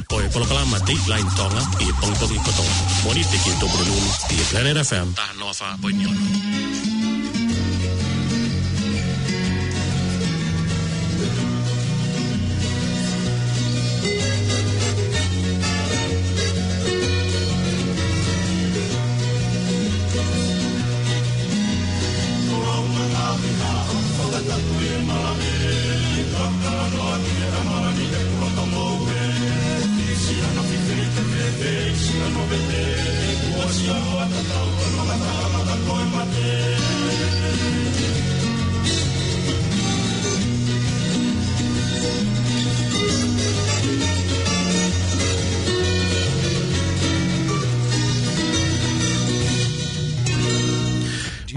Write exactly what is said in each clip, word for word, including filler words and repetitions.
Ko e polokalama Dateline Tonga ʻi he pongipongi kotoa. Mōnite ki he Tupulelulu ʻi he Planet F M taha noa fā poini ono.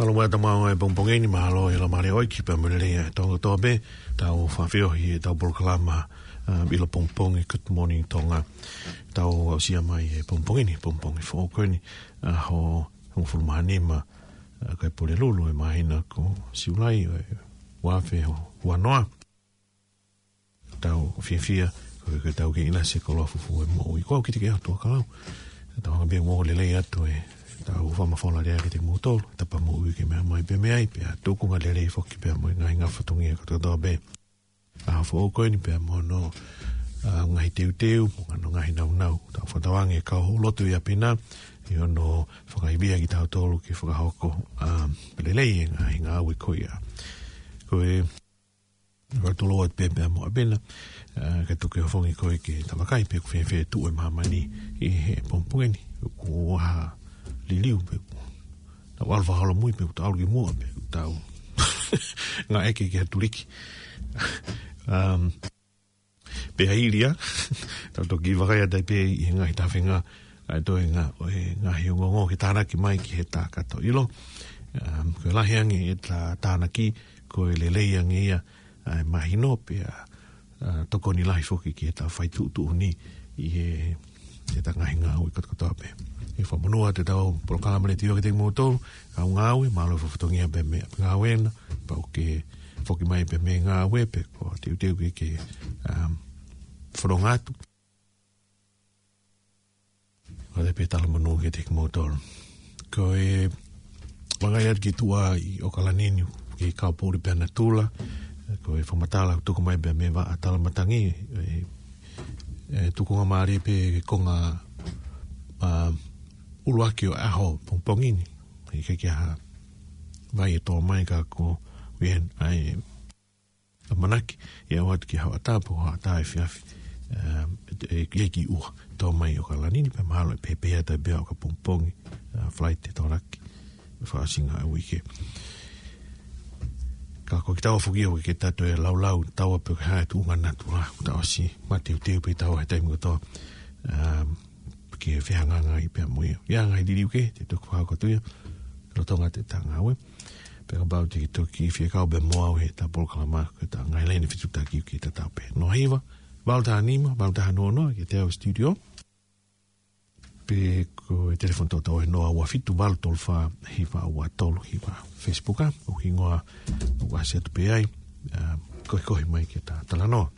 Mālō muʻa e tau maʻu e pongipongi ni, mālō e lava mai ʻo ʻoiki pea mo e lelei ʻa e Tonga kotoa pē, tau fafio ʻi heʻetau polokalama, um, ʻilopongipongi Good Morning Tonga. Tau aʻusia mai e pongipongi ni, pongipongi foʻou ko eni, ʻaho hongofulu mā nima, uh, ʻo e Pulelulu ʻo e māhina ko Siulai ʻo e ua afe ua noa. Tau fiefia, ko e, ko e tau kei ʻinasi e koloa fufū e moʻui. Ko au ki te ke atu a kalau. Tau anga pē mo lelei atu e tau fakamafola lea ki te moutolu, tapa moʻui ke meʻa mai pē meʻa ai, pea tukunga lelei foki pea mo e ngaahi ngaahi fatongia kotoa pē. ʻAho foʻou ko eni pea mo hono, a, ngaahi teuteu, mo hono ngaahi naunau. Tau fakatauange kau hou lotu ia pē na, ʻi hono fakaivia kitautolu ke fakahoko, a, lelei e ngaahi ngāue ko ia. Ko e, ʻoku ou loto atu pē pea mo ʻApena, a, ke toki ʻofongi koe ke tau vakai pe ʻoku fēfē tuʻu e māmani ʻi he pongipongi ni. ʻOku ʻalu liliu pe ʻoku tau ʻalu fakaholomui pe ʻoku tau ʻalu ki muʻa pe ʻoku tau ngāueʻaki ke tuliki. Um, pea ʻi ai, tau toki vakai atu ai pē ʻi he ngaahi tafenga, ʻa e toenga ʻo e ngaahi ongoongo ke tānaki mai ki he tā kato ʻilo. Um, ko e lahi ange ʻeta tānaki, ko e lelei ange ia, ʻa e mahino pea, a, tokoni lahi foki ki heʻeta fai tuʻutuʻuni ʻi he, heʻeta ngaahi ngāue kotokotoa pē. ʻE fakamonū atu ʻetau polokalama letiō ki te moutolu, ʻa e ngāue, mālō e fatongia pē mei he ngāue na, pau ke foki mai pē mei he ngāue pe ko e teuteu ke ke, um, fononga atu. ʻOku ou pē talamonū ki te kimoutolu. Ko e vakai atu ki tuʻa ʻi ʻAokalani ni, ki he kau poʻuli pea natula, ko e fakamatala tuku mai pē mei he vaʻa talamatangi, e, e tukunga mālie pē konga, a, ʻuluaki ʻo e ʻaho pongipongi ni, ʻikai ke ʻi ai ha vai ʻe tō mai ka ko ia ai ʻamanaki, ʻe aʻu atu ki he hoʻatā pe ko e hoʻatā efiafi, um, e, e, e ki ʻUa, tō mai ʻAokalani ni, pea mahalo ʻe pehē pē ʻa e taimi ʻo ka pongipongi, uh, flight ʻe tō laki, fakaʻosinga ʻa e uike. Ka ko kitaua foki ʻoku ʻikai ke tau toe laulau taua pe ko e hā e tuʻunga natula, ʻoku tau ʻosi mateuteu pē taua he taimi kotoa, um, ke fehangahangai pea mo ia. ʻI ai ngaahi liliu kehe te toki fakahoko atu ia, lolotonga ʻeta ngāue. Pea kapau te ke toki fie kau pē mo au heʻeta polokalama, ko ʻeta ngaahi laine fetuʻutaki ʻoku tatau pē. Noa hiva, valu taha nima, valu taha noa noa, ki heʻetau studio. Pe ko e telefoni toʻotoʻo ʻe noa ua fitu valu tolu fā hiva ua tolu hiva. Facebook ʻa, ʻoku hingoa ʻoku ʻasi atu pē ai, um, kohikohi mai ki heʻeta talanoa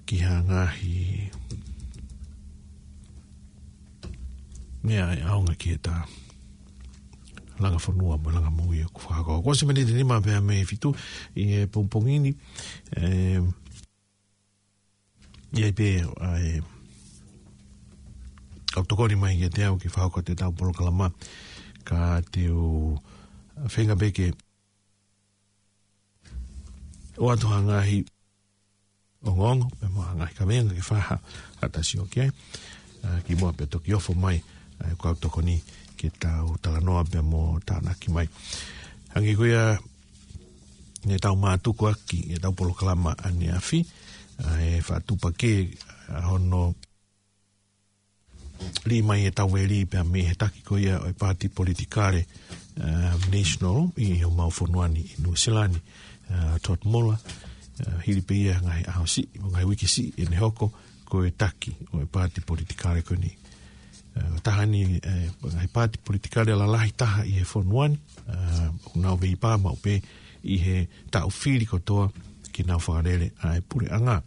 ki ha ngaahi meʻa ʻe ʻaonga ki heʻeta langa fonua mo e langa moʻui ʻoku fakahoko. Kuo ʻosi miniti nima pē mei he fitu ʻi he pongipongi ni, e, ʻi ai pē ʻa e kau tokoni mai kiate au ke fakahoko atu ʻetau polokalama, ka te u feinga pē ke ʻoatu ha ngaahi ongoongo, pea mo ha ngaahi kavenga ke fai ha, ha tasi ʻo ki ai. A, kimuʻa pea toki ofo mai, a, e kau tokoni ke tau talanoa pea mo tānaki mai. Hangē ko ia ne tau mātuku ʻaki ʻetau polokalama ʻaneafi, a, e fakatupu ke, a, hono lī mai e tau veli pea mei he taki ko ia ʻo e paati politikale, um, National ʻi homau fonua ni ʻi Nuʻusila ni, uh, Todd Muller, uh, hili pē ia ngaahi ʻaho siʻi, ngaahi uike siʻi ʻene hoko ko e taki ʻo e paati politikale ko eni. Uh, taha ni, uh, ngaahi paati politikale lalahi taha ʻi he fonua ni, uh, ʻoku nau veivaka maʻu pē ʻi he taʻu fili kotoa, ke nau fakalele ʻa e puleʻanga.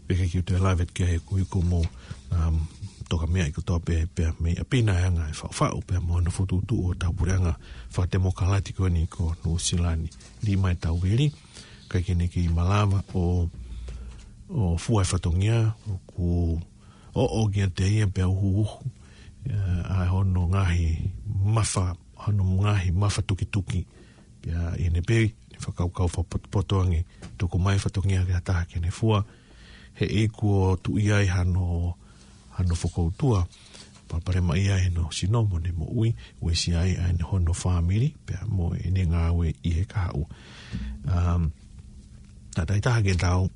Pea ke kiu te lave ki he kui ko mo, um, toka meʻa ʻi kotoa pē, pea mei ʻapi na e anga e faʻufaʻu, pea mo hono fokotuʻutuʻu ʻo e tau puleʻanga fakatemokalati ko eni ko Nuʻusila ni. Lima e tau vili, ʻikai ke ne kei malava ʻo, ʻo fua e fatongia, ʻoku ʻoʻo kiate ia pea uhuuhu, ʻa hono ngaahi mafa, hono ngaahi mafa tukituki. Pea ʻi heʻene pē, ne fakakaukau fakapotopoto ange, tuku mai fatongia ki ha taha ke ne fua, he ʻoku tuʻu ai hano, hano fokoutua, palopalema ia ʻene sino mo ʻene moʻui, uesia ai ʻa ʻene hono fāmili, pea mo ʻene ngāue ʻi he kahaʻu. Um, tatai taha ke tau,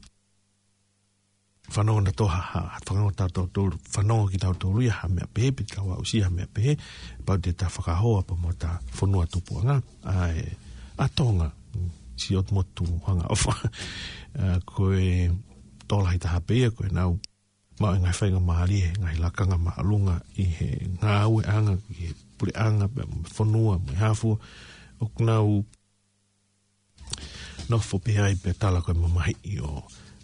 fanongo na toha, ha, ha, fanongo tautolu, fanongo kitautolu ia ha meʻa pehē, pe tau aʻusia ha meʻa pehē, pau te ta fakahoa pea mo ta fonua tupuʻanga, ʻa e, ʻa Tonga, si ot motu hanga ofa. ʻA, ko e tokolahi taha pē ia, ko e nau, maʻu e ngaahi faingamālie, ngaahi lakanga māʻolunga ʻi he ngāueʻanga, ʻi he puleʻanga, pea mo e fonua, mo e hā fua, ʻoku nau nofo pē ai pea tala ko e mamahiʻi ʻo,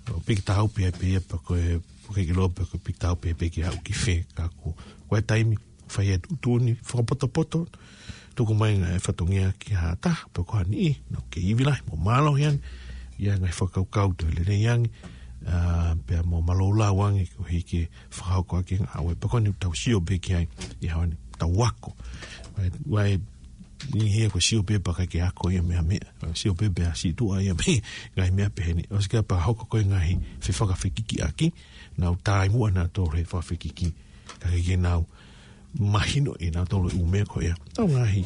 ʻo piki taha pē ai pē ia pea ko e, ko e ke lope ko e piki taha pē ai pē ke aʻu ki fē ka ko, ko e taimi, fai e tuʻutuʻuni, fakapotopoto, tuku mai ngaahi fatongia ki ha taha, pea ko ha niʻihi, nau kei ivi lahi, mo mālohi ange, ʻi he ngaahi fakakaukau toe lelei ange, ʻa, pea mo mālōlō ange, ko e hiki fakahoko ʻaki e ngāue, pea ko eni tau sio pē ki ai, ʻi he ʻaho ni, tau ako. Vai, vai, ʻi he ko e sio pē pea ʻikai ke ako ia meʻa meʻa. Sio pē pea sītuʻa ia meʻa, ngaahi meʻa pehē ni. ʻOsi ke pea hoko ko e ngaahi fefakafekikiʻaki, nau taimi ʻanautolu he fakafekiki. Ka ke ke nau mahinoʻi nautolu e ʻū meʻa ko ia. Tau ngaahi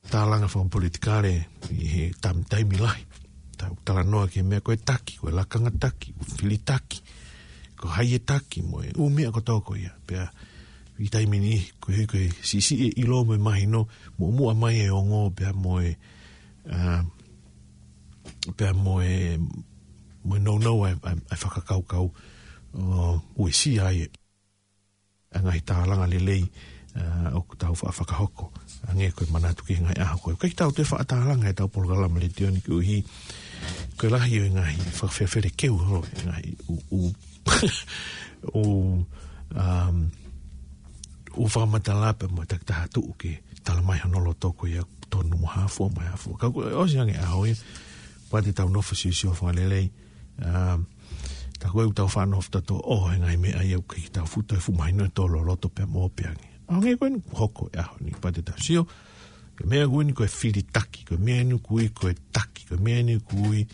tālanga fakapolitikale ʻi he tam-, taimi lahi. Tau talanoa ki he meʻa ko e taki, ko e lakanga taki, ʻū fili taki. Ko hai e taki, mo e ʻū meʻa kotoa ko ia. Pea ʻi he taimi ni, ko e, ko e siʻisiʻi e ʻilo mo e mahino, muʻomuʻa mai e ongo, pea mo e, ʻa, pea mo e, mo e nounou ʻa e, ʻa e, ʻa e fakakaukau, ʻo, uesia ai e, ʻa e ngaahi tālanga lelei, ʻa, ʻoku tau fa-, fakahoko. Hangē ko e manatu ki he ngaahi ʻaho ko ē. ʻIkai ke tau toe faʻa tālanga ʻetau polokalama letiō ni koeʻuhi, ko e lahi ʻo e ngaahi fakafefelekeu holo, e ngaahi ʻū, ʻū, ʻū, um, ʻū fakamatala pea mo e takitaha tuʻu ke tala mai hono loto ko ia tonu mo hā fua mo hā fua. Ka ko e ʻosi ange ʻaho ia, pea te tau nofo siosio fakalelei, um, tā ko ē ʻoku tau faʻa nofo tautolu ʻo he ngaahi meʻa ia ʻoku ʻikai ke tau fuʻu toe fuʻu mahino ʻe tō loloto pea mo ope ange. ʻA, hangē ko eni ʻoku hoko e ʻaho ni, pea te tau sio, ko e meʻa ko eni ko e fili taki, ko e meʻa eni ko e, ko e taki, ko e meʻa eni ko e,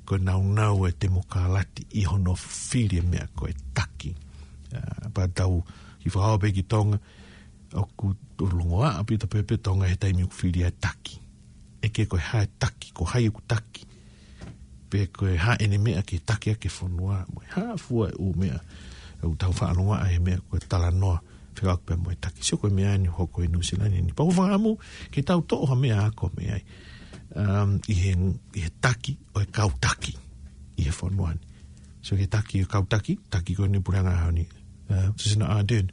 ko e naunau e temokalati ʻi hono fili e meʻa ko e taki. ʻA, pea tau kiʻi fakahoa pē ki Tonga, ʻoku tolongoa ʻaupito pē pē Tonga he taimi ʻoku fili ai e taki. ʻIkai ke ko e hā e taki, ko hai ʻoku taki. Pe ko e hā ʻene meʻa ke taki ʻaki e fonua, mo e hā fua e ʻū meʻa. ʻOku tau faʻa longoaʻa he meʻa ko e talanoa, fekauʻaki pea mo e taki. Sio ko e meʻa ni hoko ʻi Nuʻusila ni. Pea ʻoku ou fakaʻamu ke tau toʻo ha meʻa ako mei ai. Um, ʻi he, ʻi he taki ʻo e kau taki ʻi he fonua ni. Sio ki he taki ʻo e kau taki, taki ko eni puleʻanga ʻaho ni. Uh, Jacinda Ardern.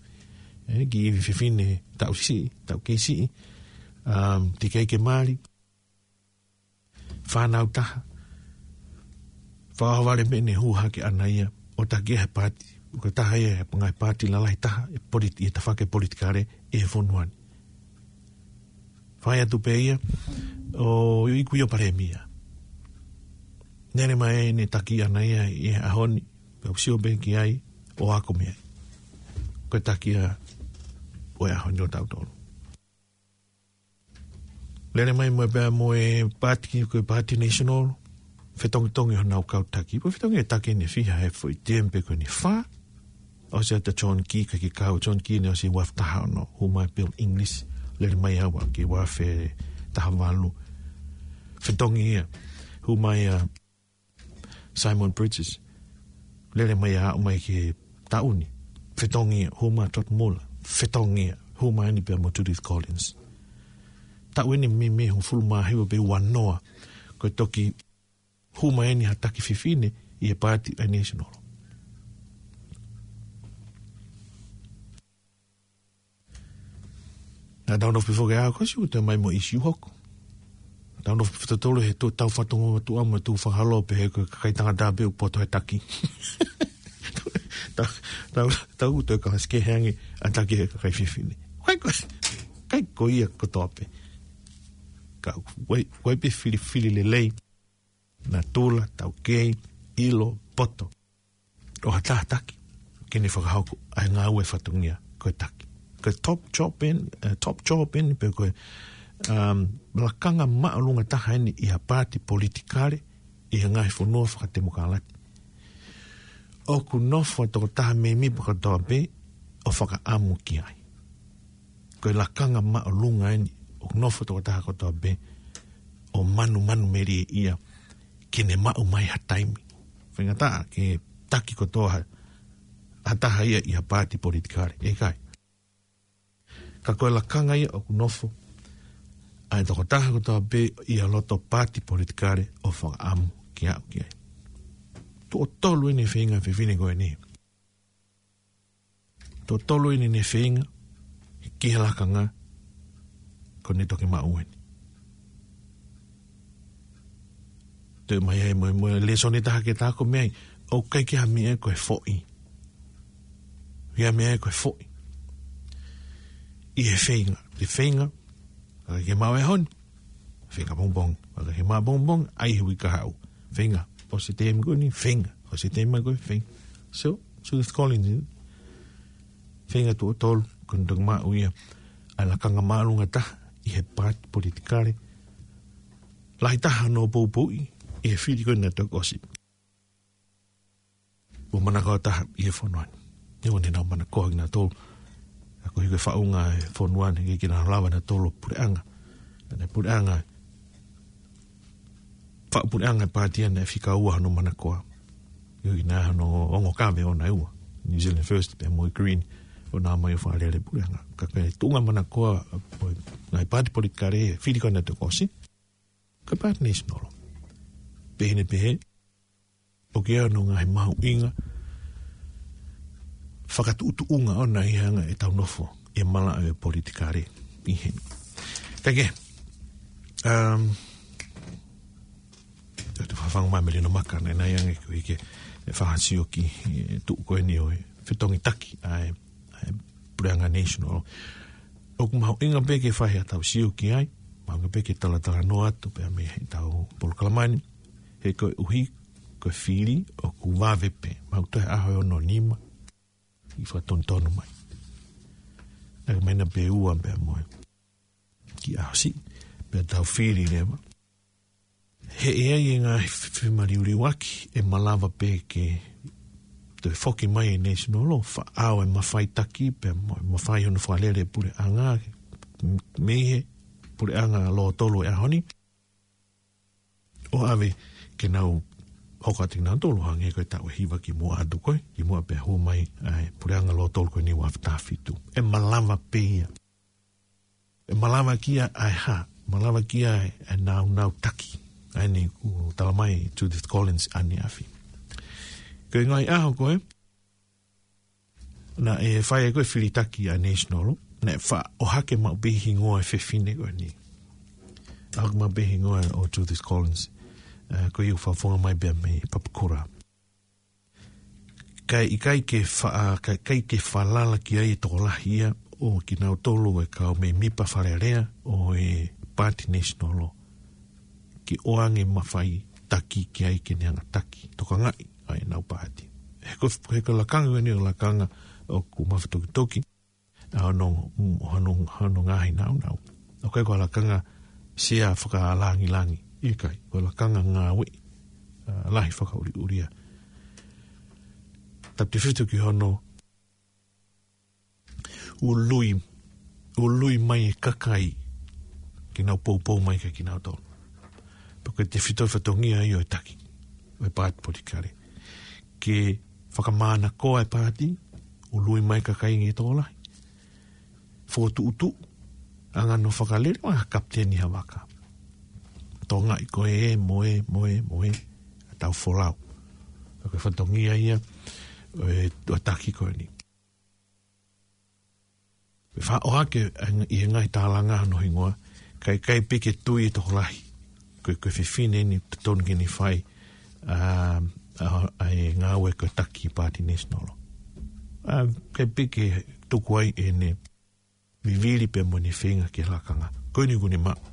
ʻE, kiʻi ivi fefine taʻu siʻi, taʻu kei siʻi. Um, teʻeki ai ke mali. Fānau taha. Fakaʻohovale meʻa ne hū hake ʻana ia, ʻo taki he paati, ko e taha ia he ngaahi paati lalahi taha, ʻe politi-, ʻi he tafaʻaki politikale, ʻi he fonua ni. Fai atu pē ia, ʻo iku ia ʻo palēmia. Lele mai ʻene taki ʻana ia ʻi he ʻaho ni, pea u sio pē ki ai, ʻo ako mei ai. Ko e taki ia ʻo e ʻaho ni ʻo tautolu. Lele mai mo e pea mo e paati, ko e paati National, fetongitongi honau kau taki. Pea fetongi e taki ʻe fiha he foʻi tiem pe ko eni fā. ʻOsi atu John Key, ʻikai ke kau John Key ne ʻosi ua afe taha ono, hū mai Bill English, lele mai ʻo aʻu ki he ua afe taha valu. Fetongi ia, hū mai ʻa Simon Bridges, lele mai ʻo aʻu mai ki he taʻu ni. Fetongi ia, hū mai Todd Muller. Fetongi ia, hū mai eni pea mo Judith Collins. Taʻu eni meimei hongofulu mā hiva pe ua noa, ko e toki hū mai eni ha taki fefine ʻi he paati ʻa e National. Naʻa tau nofo pē foki ʻa ko siʻu te mai mo e ʻīsiu hoko. Tau nofo pē tautolu he tuʻu, tau fatongia atu ʻamu atu fakaholo pē he ko e kakai tangata pē ʻoku poto he taki. Tau, tau, tau ʻuto e kalasi kehe ange ʻa e taki he kakai fefine. ʻIkai ko, ʻikai ko ia kotoa pē. Ka ʻoku ʻi ai, ʻoku ʻi ai pē filifili lelei, natula, taukei, ʻilo, poto ʻo ha taha taki ke ne fakahoko ʻa e ngāue fatongia ko e taki. Ko e top job eni, eh, top job eni pe ko e, um, lakanga māʻolunga taha eni ʻi ha paati politikale ʻi he ngaahi fonua fakatemokalati. ʻOku nofo e tokotaha mēmipa kotoa pē ʻo fakaʻamu ki ai. Ko e lakanga māʻolunga eni ʻoku nofo e tokotaha kotoa pē ʻo manumanumelie ia ke ne maʻu mai ha taimi. Faingataʻa ke taki kotoa ha, ha taha ia ʻi ha paati politikale. ʻIkai. Ka ko e lakanga ia ʻoku nofo ʻa e tokotaha kotoa pē ʻi ha loto paati politikale ʻo fakaʻamu ke aʻu ki ai. Tuʻo tolu eni e feinga fefine ko eni. Tuʻo tolu eni ʻene feinga ki he lakanga ko eni toki maʻu eni. Toe mai ai mo e, mo e lēsoni ʻe taha ke ta ako mei ai, ʻoku ʻikai ke ʻi ai ha meʻa ko e foʻi. ʻIkai ha meʻa ko e foʻi ʻi he feinga. Te feinga, ʻikai ke maʻu e honi. Feinga pongipongi. ʻIkai ke maʻu pongipongi, ʻai he uike kahaʻu. Feinga, ʻosi e teemi ko eni, feinga. ʻOsi e teemi ko ē, feinga. So, Judith Collins, feinga tuʻo tolu, ko eni toki maʻu ia ʻa e lakanga māʻolunga taha ʻi he paati politikale. Lahi taha hono poupouʻi ʻi he fili ko eni naʻe toki ʻosi. Mo e manako taha ʻi he fonua ni. Neongo ʻenau manako kinautolu, ka ko e hiki e faʻunga e fonua ni, ʻikai ke nau lava nautolu ʻo puleʻanga. Naʻe puleʻanga, faʻu puleʻanga e paati ʻa eni naʻe fika ua hono manako. ʻIkai ke nau ʻi ai hano ongo kave ʻoʻona ʻe ua. New Zealand First, pea mo e Green, ʻo nau ō mai ʻo fakalele puleʻanga. Ka ko e tuʻunga manako ʻo e ngaahi paati politikale, fili ko eni naʻe toki ʻosi, ko e paati National. Pehē ni pehē, ʻoku ʻi ai hono ngaahi mahuʻinga fakatuʻutuʻunga ʻoʻona ʻi he anga ʻetau nofo ʻi he malaʻe politikale ʻi heni. Kae kehe, um, ʻoku ou fakafangu mai Melino Maka, naʻe ʻi ai ange ko e hiki e fakasio ki he tuʻu ko eni ʻo e fetongi taki ʻa e, ʻa e puleʻanga National. ʻOku mahuʻinga pē ke fai haʻatau sio ki ai, mahuʻinga pē ke talatalanoa atu pea mei heʻetau polokalama ni, he koeʻuhi ko e fili ʻoku vave pē, mahalo toe ʻaho ʻe ono nima ʻi fakatonutonu mai. Naʻe ʻomai ʻena pē ua pea mo e kiʻi ʻaho siʻi, pea tau fili leva. He ʻe ʻi ai e ngaahi fe-, femaliuliuaki ʻe malava pē ke toe foki mai e National ʻo fakaʻau e mafai taki pea mo e mafai hono fakalele puleʻanga mei he puleʻanga lōtolu e ʻaho ni. ʻO ʻave ke nau hoko atu kinautolu hangē ko e taʻu ʻe hiva kimuʻa atu ko ē, kimuʻa pea hū mai ʻa e puleʻanga lōtolu ko eni ua afe taha fitu. ʻE malava pē ia. ʻE malava kia ai ha, malava kia ai e nāunau taki. ʻA eni ʻoku tala mai Judith Collins ʻaneafi. Ko e ngaahi ʻaho ko ē naʻe fai ai ko ē fili taki ʻa e National, naʻe faʻa ʻohake maʻu pē hingoa e fefine ko eni. ʻOhake maʻu pē hingoa ʻo Judith Collins, ē, ko ia ʻoku fakafofonga mai pea mei Papakura. Kae ʻikai ke fa-, kae ʻikai ke falala ki ai e tokolahi ia ʻo kinautolu e kau mēmipa fakalelea ʻo e paati National ke ʻoange mafai taki ki ai ke ne hanga taki, tokangaʻi ʻa ʻenau paati. He ko, he ko e lakanga ko eni ʻo e lakanga ʻoku mafatukituki ʻa hono, hono, hono ngaahi nāunau. ʻOku ʻikai ko e lakanga sea fakalāngilangi, ʻikai, ko e lakanga ngāue, ā, lahi fakaʻuliʻulia. Tapu tefito ki hono ului, ului mai e kakai ke nau poupou mai kia kinautolu. Pea ko e tefito e fatongia ia ʻo e taki ʻo e paati politikale. Ke fakamānakoa e paati, ului mai e kakai ke tokolahi. Fokotuʻutuʻu, anga hono fakalele, ʻo ha kapiteni ha vaka. Tokangaʻi ko ē, mo ē, mo ē, mo ē, ʻa e tau folau. Pea ko e fatongia ia ʻo e, ʻo e taki ko eni. Pea faʻa ʻohake ʻi he ngaahi tālanga hono hingoa, kae ʻikai pē ke tui e tokolahi ko e, ko e fefine eni totonu ke ne fai, ā, ā, ā, e ngāue ko e taki Paati National. Ā, ke piki tuku ai ʻene vivili pea mo ʻene feinga ki he lakanga. Ko eni kuo ne maʻu.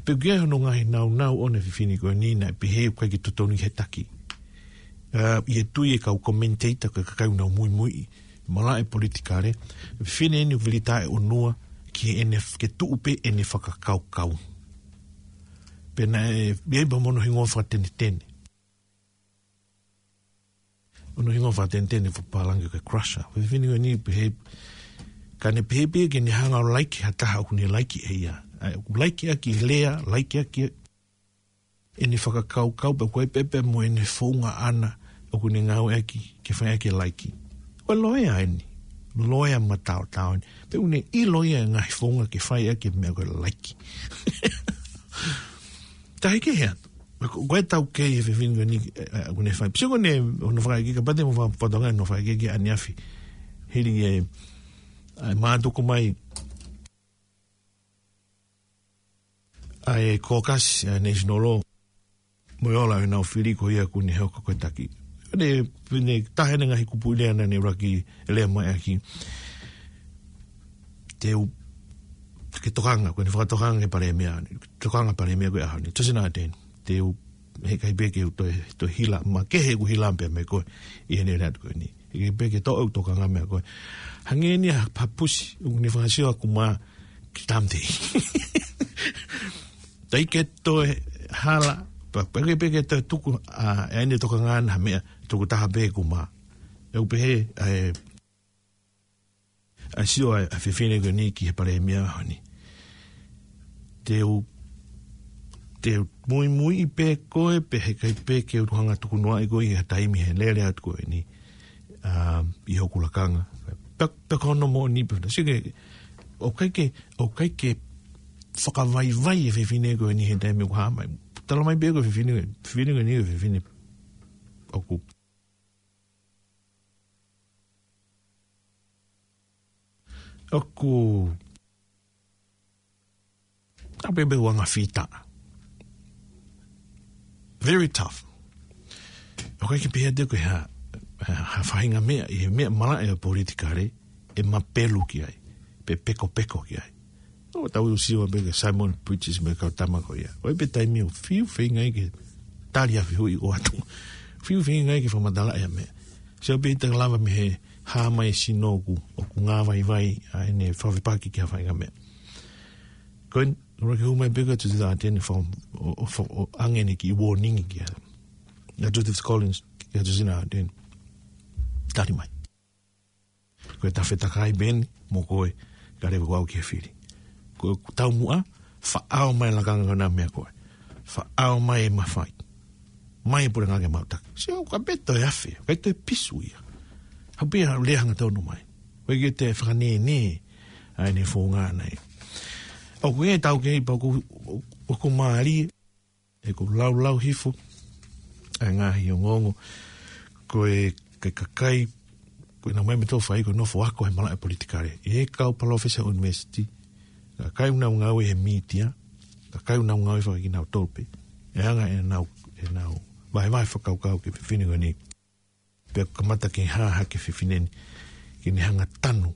Pea ʻoku ʻi ai hono ngaahi naunau ʻona e fefine ko eni naʻe pehē ʻoku ʻikai ke totonu ke taki. Ā, ʻi he tui e kau commentator ko e kakai ʻoku nau muimui ʻi he malaʻe politikale, fefine eni ʻoku vili taʻeʻunua ki heʻene f-, ke tuʻu pē ʻene fakakaukau. Pea naʻe, ʻi ai pē mo hono hingoa fakatenetene. Hono hingoa fakatenetene fakapālangi ko e crusher. Ko e fefine ko eni pehē, ka ne pehē pē ke ne hanga ʻo laiki ha taha ʻoku ne laiki ʻe ia. ʻA ia, ʻoku laiki ʻaki e lea, laiki ʻaki ʻene fakakaukau pea ʻoku ʻi ai pē pea mo ʻene founga ʻana ʻoku ne ngāueʻaki ke fai ʻaki e laiki. Ko e loea eni. Loea mataotao eni. Pea ʻoku ne ʻilo ia e ngaahi founga ke fai ʻaki e meʻa ko e laiki. Tahi ke hea. Ko, ko e taukei he fefine ko eni, ē, ē, ʻoku ne fai. Pea sio ko eni, hono fakaʻekeʻeke, kapau te mou fa-, fakatokangaʻi hono fakaʻekeʻeke ʻaneafi. Hili e, ē, mātuku mai ʻa e caucus, ʻa e National Law. Mo e ola ʻenau fili ko ia ʻoku ne hoko ko e taki. Ne, ne taha eni e ngaahi kupuʻi lea naʻa ne ʻuluaki lea mai ʻaki. Te u, ke tokanga, ko ʻene fakatokanga ki he palēmia, tokanga palēmia ko e ʻaho ni. Josina Ardern, te u, heʻikai pē ke u toe, toe hila, makehe ʻeku hila pea mo koe, ʻi heʻene lea ko eni. Heʻikai pē ke toʻo ʻeku tokanga meia koe. Hangē eni ha papusi, ʻoku ne fakasio ʻaku mā ki tamte. ʻIkai ke toe hala, pea, pea ʻikai pē ke toe tuku, ā, ʻene tokanga ʻana ha meʻa, tuku taha pē ʻeku mā. ʻOku pehē, ʻa e, ʻa e sio ʻa e, ʻa e fefine ko eni ki he palēmia ʻaho ni. Te u, te u muimui pē koe, pea heʻikai pē ke u hanga ʻo tukunoaʻi koe ʻi ha taimi he lele atu ko eni. Ā, ʻi hoku lakanga. Pea, pea ko hono moʻoni pē, sio ki he, ʻoku ʻikai ke, ʻoku ʻikai ke fakavaivai e fefine ko eni he taimi ʻoku hā mai. Tala mai pē ko e fefine, fefine ko eni, fefine ʻoku ʻoku, ʻa pē pē uanga fita. Very tough. ʻOku ʻikai ke pehē atu ko e hā, ha, ha faʻahinga meʻa, ʻi he meʻa malaʻe ʻo e politikale, ʻe mapelu ki ai, pe pekopeko ki ai. ʻOku tau sio pē ki he Simon Bridges mo e kau tama ko ia. ʻOku ʻi ai pē taimi ʻoku fiu feinga ai ke tali ʻa e fehuʻi ʻoku ʻoatu. Fiu feinga ai ke fakamatalaʻi ʻa e meʻa. Sio pē ʻi he taimi lava mei he hā mai e sino ʻoku, ʻoku ngāvaivai ʻa ʻene fakafepaki ki ha faʻahinga meʻa. Ko eni, ʻuluaki hū mai pē ko Josina Ardern faka-, ʻo, ʻo, ʻo, ʻo ʻoange ʻene kiʻi warning kia, ʻa Joseph Collins, kia Josina Ardern. Tali mai. Ko e tafetakai pē eni mo koe, ka leva ko au ki he fili. Ko e taumuʻa, faʻao mai e lakanga ko ena meia koe. Faʻao mai e mafai. Mai e puleʻanga ke mau taki. Sio, ʻoku ʻikai pē toe afe, ʻikai toe pisu ia. Haʻu pē ʻo lea hangatonu mai. ʻOku ʻikai ke toe fakanēnē ʻa ʻene founga ʻana ia. ʻOku ʻi ai e taukei pea ʻoku, ʻoku mālie, ʻoku laulau hifo ʻa e ngaahi ongoongo, ko e, ko e kakai, ko e naʻa mau meʻa ʻoku fai ko e nofo ako he malaʻe politikale. ʻI he kau palōfesa university, kakai ʻoku nau ngāue he mītia, kakai ʻoku nau ngāue fakakinautolu pē. ʻE anga ʻenau, ʻenau vahevahe fakakaukau ki he fefine ko eni. Pea kamata ke hā hake e fefine ni, ke ne hanga ʻo tanu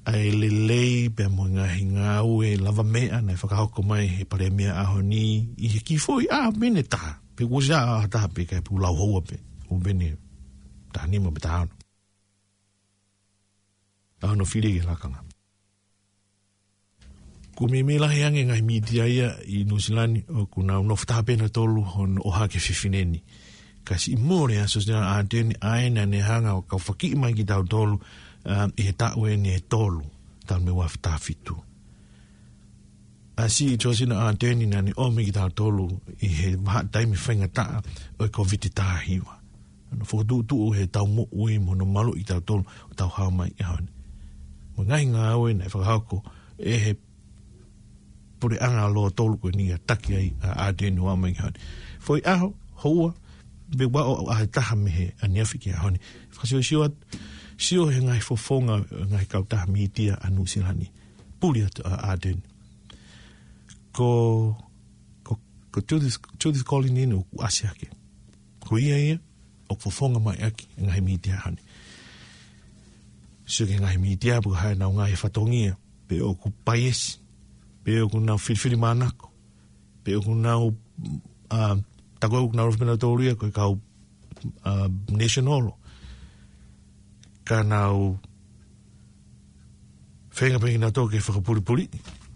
ʻa e lelei pea mo e ngaahi ngāue lavameʻa naʻe fakahoko mai he palēmia ʻaho ni ʻi he kiʻi foʻi ʻaho pē ʻe taha. Pe kuo ʻosi ʻaho ʻe taha pē kae pulau hoa pē. ʻO pē ʻe taha nima pe taha ono. ʻA hono fili ki he lakanga. Ko e meimei lahi ange e ngaahi mītia ia ʻi Nuʻusila ni ʻoku nau nofo taha pē nautolu hono ʻohake e fefine ni. Ka siʻi mole ʻa Josina Ardern ʻa ē naʻa ne hanga ʻo kau fakiʻi mai kitautolu, ā, ʻi he taʻu eni ʻe tolu, talu mei he ua afe taha fitu. ʻA siʻi Josina Ardern naʻa ne ʻomi kitautolu ʻi he vahaʻa taimi faingataʻa ʻo e Kōviti taha hiva. Hono fokotuʻutuʻu ʻe he Tau Moʻui mo hono maluʻi kitautolu ʻo tau hao mai ki he ʻaho ni. Mo e ngaahi ngāue naʻe fakahoko ʻe he puleʻanga lōtolu ko eni ʻa e taki ai ʻa Ardern ʻo aʻu mai ki he ʻaho ni. Foʻi ʻaho, houa, pe ua ʻo ʻaho ʻe taha mei he ʻaneafi ki he ʻaho ni. Fakasiosio atu, sio he ngaahi fofonga, ngaahi kautaha mītia ʻa Nuʻusila ni. Puli atu ʻa Ardern. Ko, ko, ko Judith, Judith Collins ʻoku ʻasi hake. Ko ia ia ʻoku fofonga mai ʻaki e ngaahi mītia ʻaho ni. Sio ki he ngaahi mītia, pe ko e hā ʻenau ngaahi fatongia, pe ʻoku paiesi, pe ʻoku nau filifilimānako, pe ʻoku nau, ʻa, tā ko ē ʻoku nau ʻofa pē nautolu ia ko e kau, ʻa, National. Ka nau feinga pē kinautolu ke fakapulipuli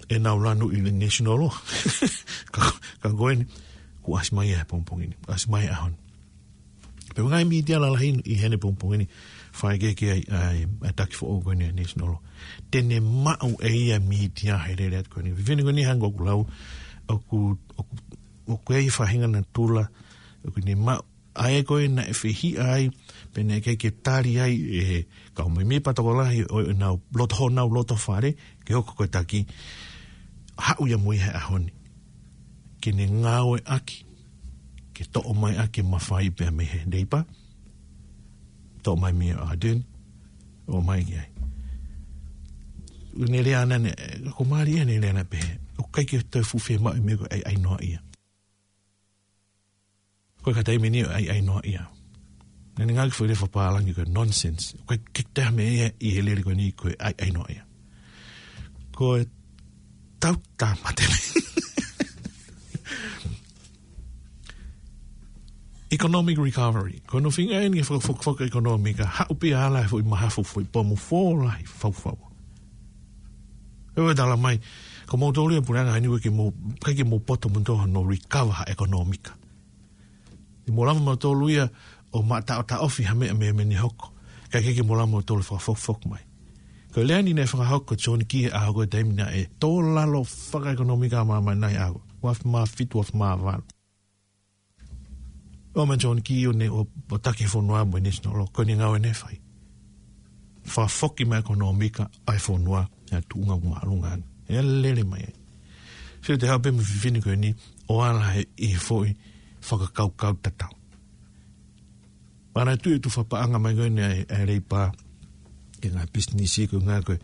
ʻenau lanu ʻi he National. Ka, ka ko eni, kuo ʻasi mai ia he pongipongi ni, ʻasi mai he ʻaho ni. Pea ngaahi mītia lalahi ʻi heni he pongipongi ni, fai ke ke ai, ai, ai taki foʻou ko eni National. Te ne maʻu ʻe ia mītia he lele atu ko eni. Fefine ko eni hangē ko ʻeku lau, ʻoku, ʻoku, ʻoku ʻi ai e faʻahinga natula, ʻoku ne maʻu, ʻa ē ko ē naʻe fehiʻa ai, pea naʻe ʻikai ke tali ai ʻe he kau mēmipa tokolahi ʻo ʻenau loto, honau loto fale, ke hoko ko e taki, haʻu ia mo ia he ʻaho ni. Ke ne ngāueʻaki, ke toʻo mai ʻaki e mafai pea mei he Leipa, toʻo mai mei he Ardern, ʻomai ki ai. Ne lea ʻana ne, ko Mali ia ne lea ʻana pehē, ʻoku ʻikai ke toe fuʻu fiemaʻu e meʻa ko e ʻai, ʻai noa ia. Ko e ka taimi ni ʻai, ʻai noa ia. Naʻa ne ngāueʻaki e foʻi lea fakapālangi ko e nonsense. Ko e ke te ha meʻa ia ʻi he lele ko eni ko e ʻai, ʻai noa ia. Ko e tau tāmate. Economic recovery. Ko hono feinga eni ke fakafokifoki e ʻekonōmika, haʻu pē ʻo ala e foʻi mahafu, foʻi pomu fō lahi, faufau. ʻE ʻoua tala mai, ko moutolu ia puleʻanga ʻi Niue ʻikai ke mou, ʻikai ke mou poto moutolu hono recover ha ʻekonōmika. ʻI mou lava moutolu ia ʻo mataʻotaʻofi ha meʻa mei, mei he hoko. Ka ʻikai ke mou lava moutolu fakafokifoki mai. Ko e lea ni naʻe fakahoko ʻe John Key he ʻaho ko e taimi naʻe tō lalo fakaʻekonōmika ʻa māmani he ʻaho. Uaafe mā fitu, uaafe mā valu. ʻOmai ʻa John Key ʻo ne ʻo, ʻo taki e fonua mo e National, ko ʻene ngāue naʻe fai. Fakafoki mai e ʻekonōmika ʻa e fonua, ʻa e tuʻunga māʻolunga. ʻE lele mai ai. Sio ki he haʻu pē mo e fefine ko eni, ʻo ala he ʻi he foʻi fakakaukau tatau. Manatuʻi e tufa paʻanga mai ko eni ʻa e, ʻa e Leipa, ki he ngaahi pisinisi ko e ngaahi ko e,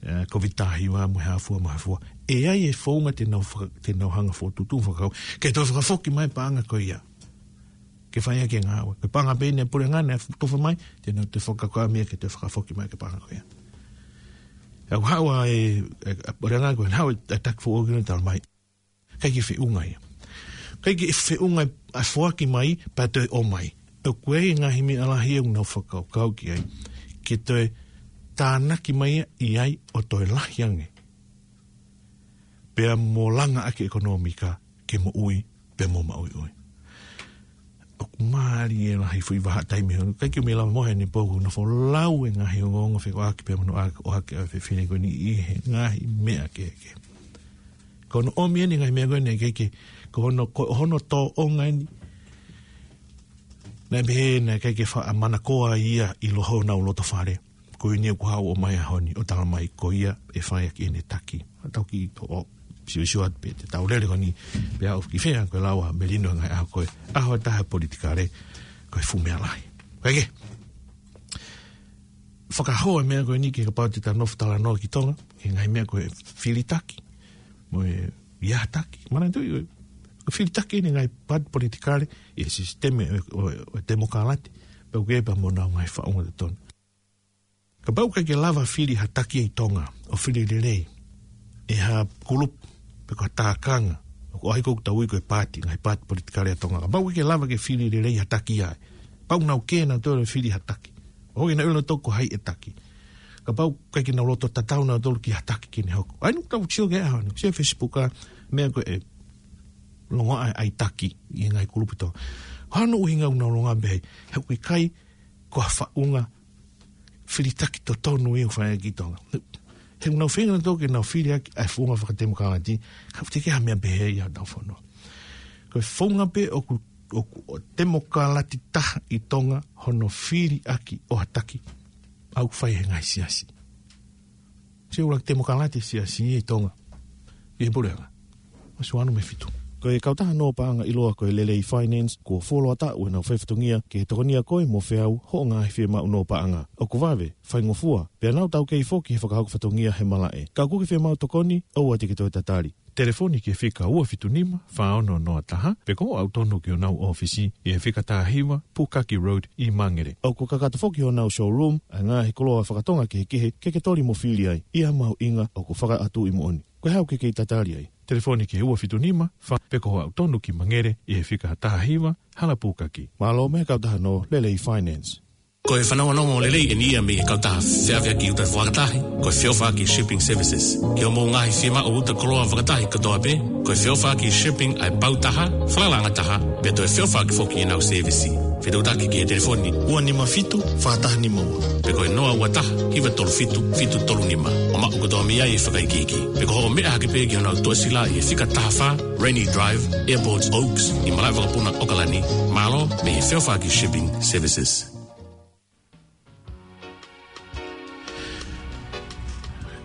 ʻe, Covid taha hiva mo e hā fua mo e hā fua. ʻE ʻi ai e founga te nau faka-, te nau hanga ʻo fokotuʻutuʻu fakakau. Ke toe fakafoki mai paʻanga ko ia. Ke fai ʻaki e ngāue. Ko e paʻanga pē eni ʻa e puleʻanga naʻe tufa mai, te nau toe fakakaukau mai ke toe fakafoki mai ki he paʻanga ko ia. ʻOku haʻu ʻa e, ʻe, ʻa e puleʻanga ko e haʻu e, e taki foʻou ki he tala mai. ʻIkai ke feʻunga ia. ʻIkai ke feʻunga ʻa e foaki mai, pea toe ʻomai. ʻOku ʻi ai e ngaahi meʻa lahi ʻoku nau fakakaukau ki ai. Ke toe tānaki mai ia ʻi ai ʻo toe lahi ange. Pea mo langa ʻaki e ʻekonōmika, ke moʻui, pea mo maʻuiʻui. ʻOku mālie lahi e foʻi vahaʻa taimi heni, ʻikai ke u mei lava mo heni pō, ʻoku nofo lau e ngaahi ongoongo fekauʻaki pea mo hono ʻohake ʻa e fefine ko eni ʻi he ngaahi meʻa kehekehe. Ko hono ʻomi eni e ngaahi meʻa ko eni ʻikai ke, ko hono, ko hono tōʻonga eni, naʻe pehē naʻe ʻikai ke faʻa manakoa ia ʻi loto honau loto fale. Ko eni ʻoku haʻu ʻo ʻomai he ʻaho ni, ʻo tala mai ko ia ʻe fai ʻaki ʻene taki. Tau kiʻi ʻo, ʻo, sio, sio atu pē, te tau lele ko eni, pea ʻoku kiʻi fea ko e lau ʻa Melino he ngaahi ʻaho ko ē. ʻAho ʻe taha politikale, ko e fuʻu meʻa lahi. Ko e ke. Fakahoa e meʻa ko eni ke kapau te tau nofo talanoa ki Tonga, ki he ngaahi meʻa ko e fili taki, mo e ʻi ai ha taki. Manatuʻi, ko e fili taki eni e ngaahi paati politikale, ʻi he sisitemi ʻo, ʻo, ʻo e temokalati, pea ʻoku ʻi ai pē mo honau ngaahi faʻunga totonu. Kapau ʻoku ʻikai ke lava fili ha taki ʻi Tonga, ʻo fili lelei ʻe ha kulupu, pe ko ha tākanga, ʻoku ʻi ai ko ʻetau ui ko e paati, ngaahi paati politikale ʻa Tonga. Kapau ʻoku ʻikai ke lava ke fili lelei ha taki ai, pau nau kē nautolu ʻo fili ha taki. ʻOku ʻikai ke nau ʻilo nautolu ko hai ʻe taki. Kapau ʻoku ʻikai ke nau loto tatau nautolu ki ha taki ke ne hoko. ʻA ia ʻoku tau sio ki he ʻaho ni, sio he Facebook ʻa e meʻa ko e longoaʻa e ʻai taki ʻi he ngaahi kulupu ʻi Tonga. Hano ʻuhinga ʻoku nau longoaʻa pehē, he ʻoku ʻikai ko ha faʻunga fili taki totonu ia ʻoku fai ʻaki ʻi Tonga. He ʻoku nau feinga nautolu ke nau fili ʻaki ʻa e founga fakatemokalati, ka ʻoku teʻeki ha meʻa pehē ia ʻi hotau fonua. Ko e founga pē ʻoku, ʻoku, ʻo temokalati taha ʻi Tonga hono fili ʻaki ʻo ha taki, ʻoku fai he ngaahi siasi. Sio ʻuluaki temokalati siasi ʻi Tonga. ʻI he puleʻanga. ʻOsi ua noa mo e fitu. Ko e kautaha nō paʻanga ʻiloa ko e Lelei Finance, kuo fuoloa taʻu ʻenau fai fatongia ke tokonia koe mo feau hoʻo ngaahi fiemaʻu nō paʻanga. ʻOku vave, faingofua, pea nau taukei foki he fakahoko fatongia he malaʻe. Ka ʻoku ke fiemaʻu tokoni, ʻoua te ke toe tatali. Telefoni ki he fika ua fitu nima, fā ono noa taha, pe ko hoʻo aʻu tonu ki honau ʻōfisi ʻi he fika taha hiva, Pukaki Road ʻi Mangere. ʻOku kakato foki honau showroom ʻa e ngaahi koloa fakatonga kehekehe ke ke toli mo fili ai. ʻI ha mahuʻinga ʻoku fakaʻatuʻi moʻoni. Ko e hā ʻoku ke kei tatali ai? Telefoni ki he ua fitu nima, fā pe ko hoʻo aʻu tonu ki Mangere ʻi he fika taha hiva, Hala Pukaki. Mālō mei he kautaha nō Lelei Finance. Ko e fanongonongo lelei eni ia mei he kautaha feʻaveʻaki uta fakatahi, ko e Feʻofaʻaki Shipping Services. Ki hoʻomou ngaahi fiemaʻu uta koloa fakatahi kotoa pē, ko e Feʻofaʻaki Shipping ʻa e pau taha, falalaʻanga taha, pea toe feʻofaʻaki foki ʻenau sēvisi. Fetuʻutaki ki he telefoni ua nima fitu, fā taha nima ua. Pe ko e noa ua taha, hiva tolu fitu, fitu tolu nima. ʻO maʻu kotoa mei ai e fakaikiiki. Pe ko hoʻo meʻa hake pē ki honau tuʻasila ʻi he fika taha fā, Rainy Drive, Airport Oaks, ʻi Malaʻevakapuna, ʻAokalani. Mālō mei he Feʻofaʻaki Shipping Services.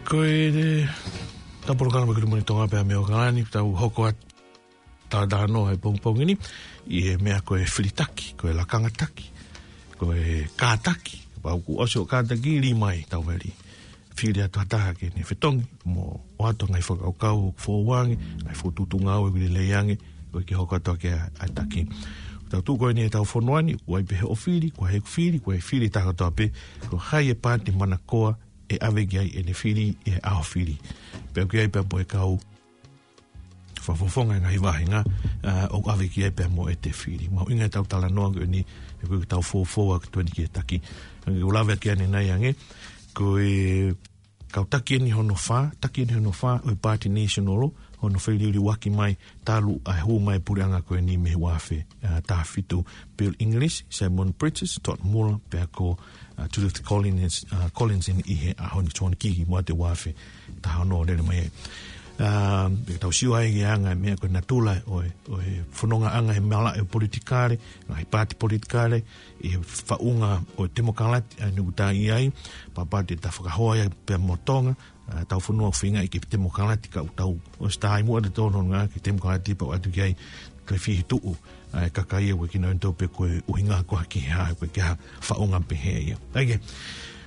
Ko e, e, tau polokalama ko e Good Morning Tonga pea mei ʻAokalani, tau hoko atu talanoa he pongipongi ni, ʻi he meʻa ko e filitaki, ko e lakangataki, ko e kātaki, pau kuo ʻosi hoʻo kātaki, lī mai, tau veli. Fili atu ha taha ke ne fetongi, mo ʻoatu ngaahi fakakaukau ʻoku foʻou ange, ngaahi fokotuʻutuʻu ngāue ʻoku lelei ange, ʻoku ʻikai ke hoko atu ʻaki ʻa e taki. Tau tuʻu ko eni ʻetau fonua ni, ʻoku ʻi ai pē hoʻo fili, ʻoku ʻi ai ʻeku fili, ʻoku ʻi ai e fili ʻa taha kotoa pē, ko hai e paati manakoa ʻe ʻave ki ai ʻene fili ʻi he ʻaho fili. Pea ʻoku ʻi ai pē mo e kau fakafofonga e ngaahi vāhenga, ʻa, ʻoku ʻave ki ai pea mo ʻete fili. Mahuʻinga ʻetau talanoa ko eni, he ko ʻetau fofoa ʻoku tuʻu eni ki he taki. Ange ʻoku lave ʻaki ʻanenai ange, ko e kau taki eni hono fā, taki eni hono fā, ʻo e Paati Nēsionolo, hono feliuliuaki mai, talu ʻa e hū mai puleʻanga ko eni mei he ua afe, ʻa, taha fitu, Bill English, Simon Pritchard, Todd Muller, pea ko, ʻa, Judith Collins, ʻa, Collins eni ʻi he ʻaho ni, John Kiki, mo ʻa e ua afe taha ono lele mai ai. ʻA, pea tau sio ai ki he anga e meʻa ko e natula ʻo e, ʻo e fonongaʻanga he malaʻe ʻo e politikale, ngaahi paati politikale, ʻi he faʻunga ʻo e temokalati, ʻa eni ʻoku ta ʻi ai, pea paati ʻe ta fakahoa ia pea mo Tonga, ʻa, tau fonua ʻoku feinga ʻi he temokalati ka ʻoku tau ʻosi tā ʻi muʻa ʻetau tōnounou ki he temokalati pea ʻoatu ki ai, ko e fihituʻu, ʻa e kakai ʻoku ʻikai ke nau ʻilo pe ko e ʻuhinga ko e hā ki he hā, ko e hā e faʻunga pehē ia. ʻA ia,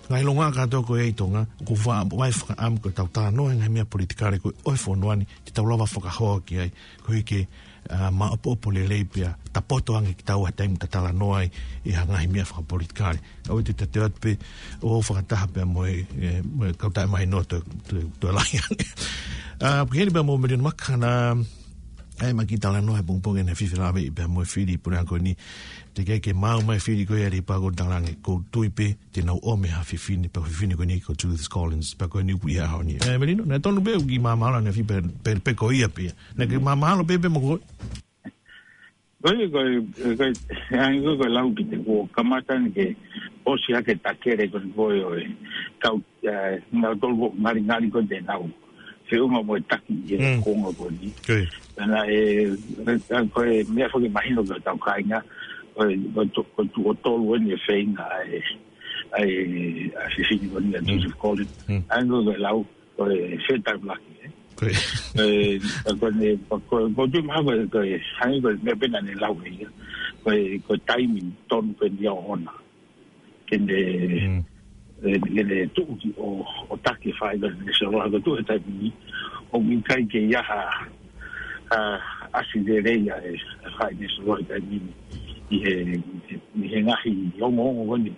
ngaahi ʻilonga kātoa ko ia ʻi Tonga, ʻoku faʻa fakaʻamu ko ʻetau talanoa he ngaahi meʻa politikale ko ē ʻo e fonua ni, te tau lava fakahoa ki ai, koeʻuhi ke, ʻa, maʻopoʻopo lelei pea, ta poto ange kitaua he taimi ta talanoa ai, ʻi ha ngaahi meʻa fakapolitikale. ʻOua te ta teu atu pē, ʻo fakataha pea mo e, e, mo e kau taʻemahino toe, toe, toe lahi ange. ʻA, pehē ni pea mo Meliona Maka na, ʻa e maki talanoa he pongipongi ni he fifi lave ʻi pea mo e fili puleʻanga ko eni. Teʻeki ke maʻu mai e fili ko ia ʻa e pā ko e talange, ʻoku ou tui pē, te nau ʻomi ha fefine, pea ko e fefine ko eni ko Judith Collins, pea ko eni ʻoku ʻi he ʻaho ni. ʻE, Meliona, naʻe tonu pē ʻoku ke māmālohi ʻanefē pē, pē, pē ko ia pē. Naʻa ke māmālohi pē pē mo koe. Ko e, ko e, ko e, hangē ko e lau ki te kuo kamata ni ke ʻosi hake takele ko eni ko e ʻo e kau, ʻe, nautolu ko e ngalingali ko eni te nau feʻunga mo e taki ʻi he Mm. konga ko eni. Ko ia. Pea naʻe, ʻe, ko e meʻa foki mahino ki hotau kāinga, ko e, ko e tu-, ko e tuʻo tolu eni e feinga ʻa e, ʻa e, ʻa e fefine ko eni ʻa Mm. Judith Collins. Mm. Hangē ko e lau, ko e fair time laki, ē? Ko ia. ʻE, ko eni, ko, ko, ko e tui mahalo ko e, ko e, hangē ko e meʻa pē naʻa ne lau ʻe ia. Ko e, ko e taimi tonu pē eni ia ʻoʻona. Ke ne, Mm. ʻe, ke ne tuʻu ki ʻo, ʻo taki e faʻahinga nēsionolo, ko e tuʻu he taimi ni, ʻoku ʻikai ke ʻi ai ha, ha ʻasi lelei ʻa e, ʻa e faʻahinga nēsionolo he taimi ni. ʻI he, ʻi he ngaahi ongoongo ko eni.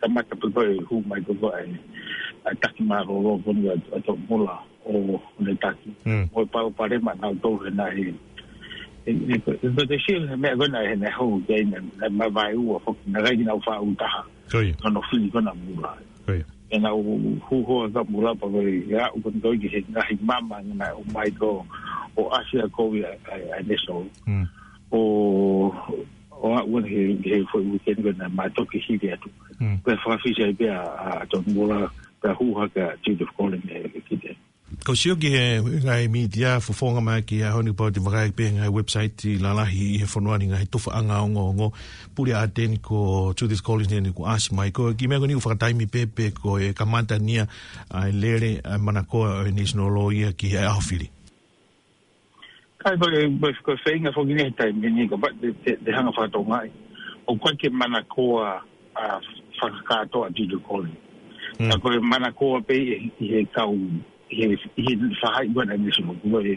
Kamata pē ko e hū mai ko ē ʻa e, ʻa e taki mālōlō ko eni ʻa, ʻa Todd Muller ʻo, ʻo ne taki. Mm. Mo e palopalema naʻa nau tō he naʻe, ʻe, ʻe, ko, ko e te sio he meʻa ko ē naʻe, naʻe hoko ki ai naʻe, naʻe mavaeua foki, naʻe ʻikai ke nau faʻu taha. Ko ia. Ko hono fili ko ē ʻa Muller. Ko ia. ʻE nau hū hoa kia Muller pea ko e aʻu ko eni ko ē ki he ngaahi mama naʻe ʻomai ko ē ʻo ʻasi ʻa e kovi ʻa, ʻa, ʻa e nēsionolo. Mm. ʻO, ʻo aʻu eni he, he foʻi weekend ko ē naʻe mātoki hili atu. Mm. Pea fakafisi ai pē ʻa, ʻa, ʻa Todd Muller, pea hū hake ʻa Judith Collins ʻe, ʻe ki te. Kau sio ki he ngaahi mītia, fofonga mai ki he ʻaho ni pau te vakai pē ngaahi website lalahi ʻi he fonua ni ngaahi tufaʻanga ongoongo. Pule ʻa Teni ko Judith Collins eni kuo ʻasi mai ko e kiʻi meʻa ko eni ʻoku fakataimi pē pe ko e kamata eni ia ʻa e lele ʻa e manakoa ʻo e nēsionolo ia ki he ʻaho fili. ʻA ia ko e, ko e, ko e feinga foki ʻeni he taimi ni, kapau te, te, te hanga ʻo fakatongaʻi. ʻOku ʻikai ke manakoa ʻa e fakakātoa ʻa Judy Collins. Mm. Ka ko e manakoa pē ʻi he, ʻi he kau, ʻi he, ʻi he faʻahi ko ē ʻa e National, ko e,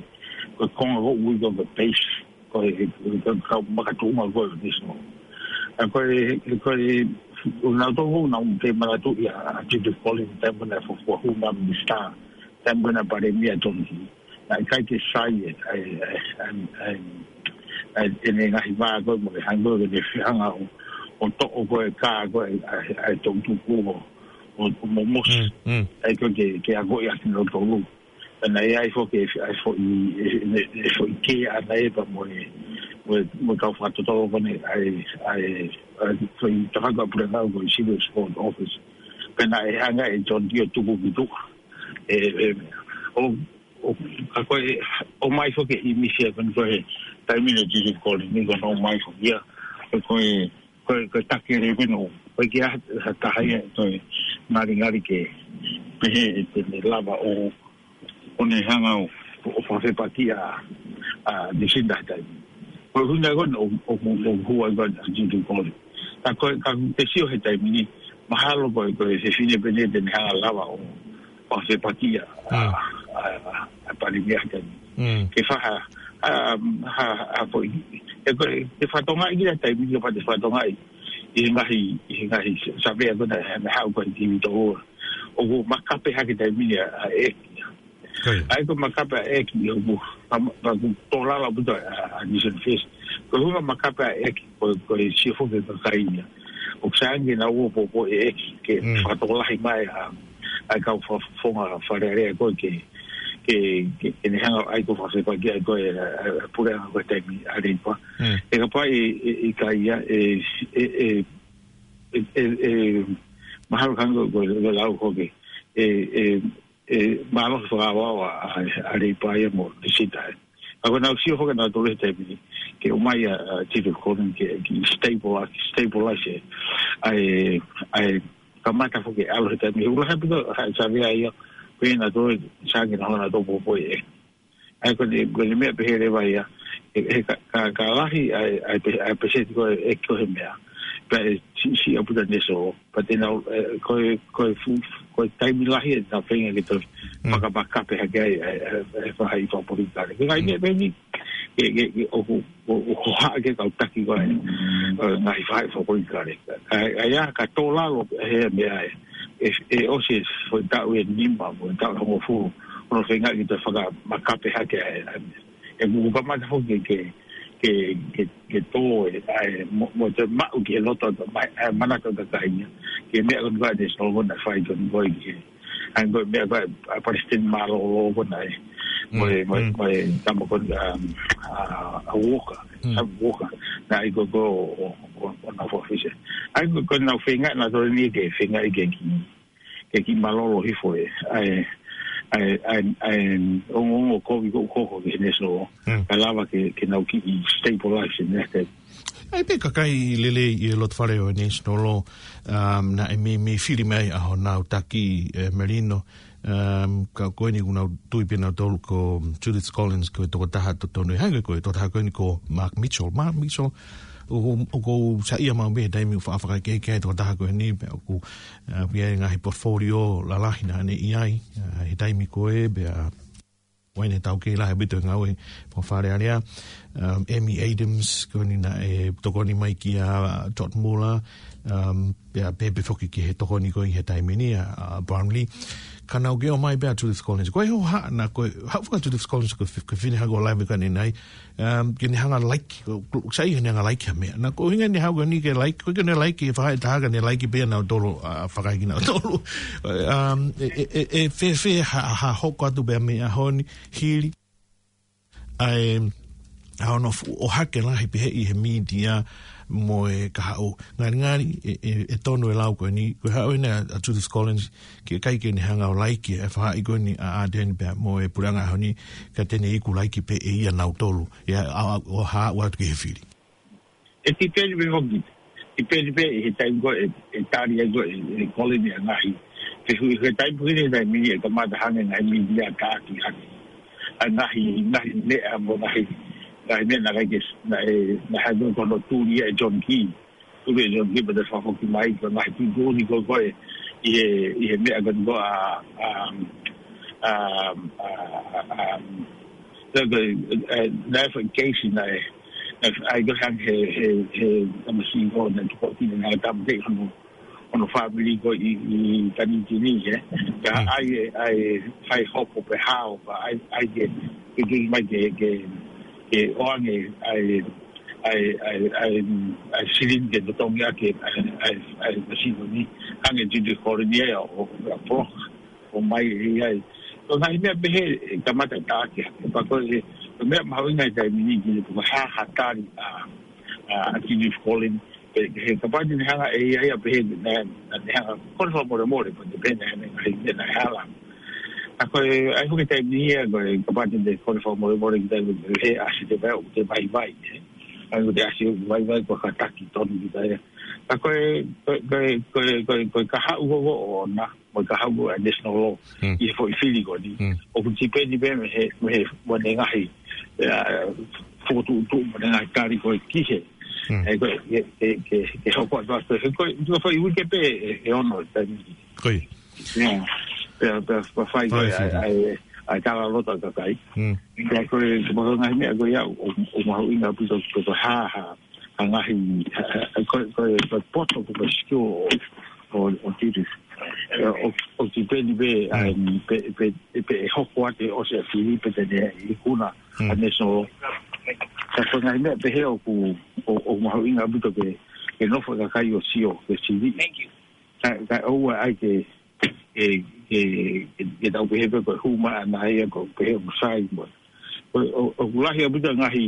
ko e konga ko ē ʻoku ui ko e base, ko e, ko e kau makatuʻunga ko ē ʻo e National. Ka ko e, ko e, ʻoku nau tō ko ē nau kei manatuʻi ʻa Judy Collins, taimi ko ē naʻe fuofua hū mai ko e minisitā, taimi ko ē naʻe palēmia ʻa John Key. Naʻe ʻikai ke sai e, e, e, e, e, ʻene ngaahi vā ko ē mo e hangē ko ē ke ne fehanga ʻo, ʻo toʻo ko ē e kā ko ē ʻa e, ʻa e toʻutupu ʻo, ʻo, ʻo momosi. Mm, mm. ʻA ia ko ē ke, ke akoʻi ʻakinautolu. Pea naʻe ʻi ai foki e, ʻa e foʻi, e, e, e foʻi kē ʻana ē pea mo e, mo e, mo e kau fakatotolo ko eni ʻa e, ʻa e, ʻa e foʻi tafaʻaki ʻa e puleʻanga ko e Civil Sport Office. Pea naʻe hanga ʻe John Key ʻo tuku ki tuʻa. E, e, ʻo, ʻo, ka ko e, ʻomai foki e ʻīmisi ia ko eni ko e taimi ni ʻo Judy Collins ni ko ē naʻe ʻomai foki ia. Ko e, ko e, ko e, ko e taki lelei pē ʻeni. ʻOku ʻikai ha, ha taha ia ʻe toe ngalingali ke pehē ʻe te ne lava ʻo, ʻo ne hanga ʻo, ʻo fakafepakiʻi ʻa, ʻa Lucinda he taimi. Ko e ʻuhinga ko ē ʻo, ʻo, ʻo, ʻo hū ai ko ē ʻa Judy Collins. Ka ko e, ka te sio he taimi ni, mahalo ko e, ko e fefine pē ʻeni te ne hanga ʻo lava ʻo, ʻo fakafepakiʻi ʻa, Mm. ʻa, ʻa, ʻa e palēmia he taimi ni. Mm. Ke faha, ha, ha, ha foʻi, e ko e, ke fakatongaʻi ki he taimi ni, kapau te fakatongaʻi ʻi he ngaahi, ʻi he ngaahi savea ko ē naʻe, naʻe haʻu ko ē ki he tō. ʻOku makape hake taimi ni ʻa, ʻa e ʻEiki. Ko ia. ʻA ia ko e makape ʻa e ʻEiki ʻoku, ka, ka ʻoku tō lalo ʻaupito ʻa, ʻa Nixon First. Ko e ʻuhinga makape ʻa e ʻEiki, ko, ko e sio foki ki he kakai ia. ʻOku sai ange ke nau ō ʻo poupouʻi e ʻEiki, ke Mm. fakatokolahi mai ʻa, ʻa e kau fa-, fofonga Fale Alea ko ē ke, ke, ke, ke ne hanga ʻo ʻai ko e fakafepakiʻi ʻa e ko e, ʻa, ʻa e puleʻanga ko ē taimi ʻa Leipa. Mm. He kapau ʻe, ʻe, ʻe ʻikai ia, ʻe, ʻe, ʻe, ʻe, ʻe, mahalo hangē ko e, ko e lau ko ē ke, ʻe, ʻe, ʻe, mālohi fakaʻaoʻao ʻa, ʻa, ʻa Leipa ia mo Lucinda ē. Ka ko ʻenau sio foki ʻanautolu he taimi ni, ke ʻomai ʻa, ʻa Judy Collins ke, ke stabilize, stabilize ē. ʻA e, ʻa e kamata foki ʻalu he taimi ni. ʻOku lahi ʻaupito ha savea ia, ko ʻenautolu, sai ange ke nau hanga ʻo poupouʻi e ʻEiki. ʻA ia ko ʻene, ko ʻene meʻa pehē leva ia, he, he ka, ka, ka lahi ʻa e, ʻa e pe-, ʻa e peseti ko ē ʻEiki ko ē he meʻa. Pea ʻe siʻisiʻi ʻaupito ʻa e National, pea te nau, ʻe, ko e, ko e fu-, ko e taimi lahi ʻe nau feinga ke toe Mm. fakamakape hake ai ʻa e, ʻa e, ʻa e faʻahi fakapolitikale. Ko e ngaahi Mm. meʻa pē ʻeni, ke, ke, ke, ʻoku, ʻo, ʻo hohaʻa ki he kau taki ko ē, ʻa e ngaahi faʻahi fakapolitikale. Ka, ka ʻi ai ha tō lalo he meʻa ē, ʻe, ʻe ʻosi e foʻi taʻu ʻe nima, mo e taʻu ʻe hongofulu, ʻo nau feinga ke toe fakamakape hake ai, ʻa e, ʻe ʻoku kamata foki ke, ke, ke, ke tō e, ʻa e, mo, mo e toe maʻu ki he loto, ma-, ʻa e manatu ʻa e kakai ia. Ki he meʻa ko eni ko ē ʻa e National ko ē naʻe fai ko eni ko ē ki he ʻa ia ko e meʻa ko ē ʻa e palesiteni mālōlō ko ē naʻe, mo e, Mm, mo e, mm. mo e tama ko ē, um, ʻa, ʻa Walker, Mm. Sam Walker, naʻe ʻai ko ē ko ē ʻo, ʻo, ʻo, ʻo nau fakafisi. ʻA ia ko ē, ko ʻenau feinga ʻanautolu ʻeni ke feinga ke kiʻi, ke kiʻi mālōlō hifo e, ʻa e, ʻa e, ʻa e, ʻa e ongoongo kovi ko ē ʻoku hoko ki he National, Mm. ka lava ke, ke nau kiʻi stabilize e meʻa ko ē. ʻA ia pē kakai lelei ʻi he loto fale ʻo e National, um, naʻe meimei fili mai ʻa honau taki, ʻe, Merino, um, ka ko eni ʻoku nau tui pē ʻanautolu ko Judith Collins ko e tokotaha totonu. Hangē ko e tokotaha ko eni ko Mark Mitchell. Mark Mitchell, ʻoku, ʻoku ou saiʻia maʻu pē he taimi ʻoku fa-, fakakehekehe e tokotaha ko eni, pea ʻoku, uh, pea ʻi ai e ngaahi portfolio lalahi naʻa ne ʻi ai, uh, he taimi ko ē, pea ʻoku ʻi ai ʻene taukei lahi ʻaupito he ngāue fakaFale Alea. Um, Amy Adams, ko eni naʻe tokoni mai kia Todd Muller, um, pea pehē pē foki ki he tokoni ko ē he taimi ni ʻa, ʻa Brownlee. Ka nau kei ʻomai pē ʻa Judith Collins. Ko e hohaʻa naʻe, ko e haʻu foki ʻa Judith Collins ko e fi-, ko e fefine hangē ko e lave ko eni ʻanenai. Um, ke ne hanga ʻo like, ko, ko, sai ke ne hanga ʻo like ha meʻa. Naʻe ko e ʻuhinga ʻene haʻu ko eni ke like, ʻoku ʻikai ke ne like e faʻahi ʻe taha ka ne like pē ʻanautolu, ʻa, fakaʻikinautolu. Um, ʻe, ʻe, ʻe, ʻe fēfē ha, ha hoko atu pē mei he ʻaho ni, hili ʻa e, ʻa hono fuʻu ʻohake lahi pehē ʻi he mītia mo e kahaʻu. Ngalingali, ʻe, ʻe, ʻe tonu e lau ko eni, ko e haʻu ʻeni ʻa, ʻa Judith Collins, ke ʻikai ke ne hanga ʻo like e faʻahi ko eni ʻa Ardern pea mo e puleʻanga ʻaho ni, ka te ne iku like pē ʻe ia ʻanautolu. ʻIa, ʻa, ʻa, ʻo haʻu atu ki he fili. ʻE tipeni pē foki. Tipeni pē ʻi he taimi ko ē, ʻe tali ai ko ē, ʻe Collins ʻa e ngaahi fehuʻi. Ko e taimi pē ʻeni he taimi ni ʻe kamata hangē ngaahi mītia ʻo taʻaki hake. ʻa e ngaahi, ngaahi meʻa mo e ngaahi, ngaahi meʻa naʻe ʻikai ke, naʻe, naʻe hā ko hono tuli ʻe John Key. Tuli ʻe John Key pea toe fakafoki mai ko e ngaahi tuʻutuʻuni ko ē ko ē ʻi he, ʻi he meʻa ko ē ko ā, um, um, uh, um, so the, uh, naʻe fai keisi naʻe, naʻe ʻai ko ē hangē he, he, he tamasiʻi ko ē naʻe tuku ʻaki ʻene ngaahi tāmateʻi hono, hono fāmili ko ē ʻi, ʻi Tanitini, ē. Ka Mm. ʻai, ʻai, ʻai hoko pe hao, ka ʻai, ʻai ke, ke tui mai ke, ke, ke ʻoange ʻa e, ʻa e, ʻa e, ʻa e, ʻa e silini ke totongi ʻaki ʻa e, ʻa e, ʻa e masino ni, hangē Judith Colin ia ʻo, ʻo, ʻo, ʻo mai ʻi ai. Ko e ngaahi meʻa pehē ʻe kamata ʻe taʻaki hake. Pea ko e, ko e meʻa mahuʻinga he taimi ni ke, ko e hā ha tali ʻa, ʻa, ʻa Judith Colin, pe, he kapau te ne hanga ʻe ia ia pehē naʻa, naʻa ne hanga, kole fakamolemole, pea te pehē naʻe, naʻe, naʻe, naʻe hala. ʻA ko e, ʻai foki taimi ia, ko e kapau te ne kole fakamolemole ki taimi he ʻasi te vai, te vaivai, ē. ʻAi ko e te ʻasi vaivai, ko e kātaki tonu ki tai. ʻA ko e, ko e, ko e, ko e, ko e, ko e kahaʻu ko ē ʻoʻona, mo e kahaʻu ʻa e National Law, Mm. ʻi he foʻi fili ko eni. Mm. ʻOku tipeni pē mei he, mei he, mo ʻene ngaahi, ʻa, fokotuʻutuʻu mo ʻene ngaahi tali ko ē ki he. Mm. ʻE, ko e, ke, ke, ke, ke hoko atu atu. He ko e, ko e foʻi uike pē ʻe, ʻe ono, taimi. Ko ia. Yeah. Pea, pea, pea fai ko ē, Fai ʻa e, fai. ʻa e, ʻa e tala loto ʻa e kakai. Mm. Pea ko e, ko e ngaahi meʻa ko ia, ʻo, ʻo mahuʻinga ʻaupito ko e hā, hā, ʻa e ngaahi, ʻa, ʻa, ko e, ko e, ko e poto ko e skill ʻo, ʻo, ʻo Judith. ʻO, ʻo tipeni pē, Mm. ʻa, pe, pe, pe ʻe hoko atu ʻo se fili pe te ne ikuna Mm. ʻa National. Ka ko e ngaahi meʻa pehē ʻoku, ʻo, ʻo mahuʻinga ʻaupito ke, ke nofo e kakai ʻo sio, ke sili. Thank you. Ka, ka ʻoua ʻai ke, ke, ke, ke, ke tau pehē pē ko e hū mai ʻana ia ko e pehē mo sai mo. ʻO, ʻo, ʻoku lahi ʻaupito ngaahi,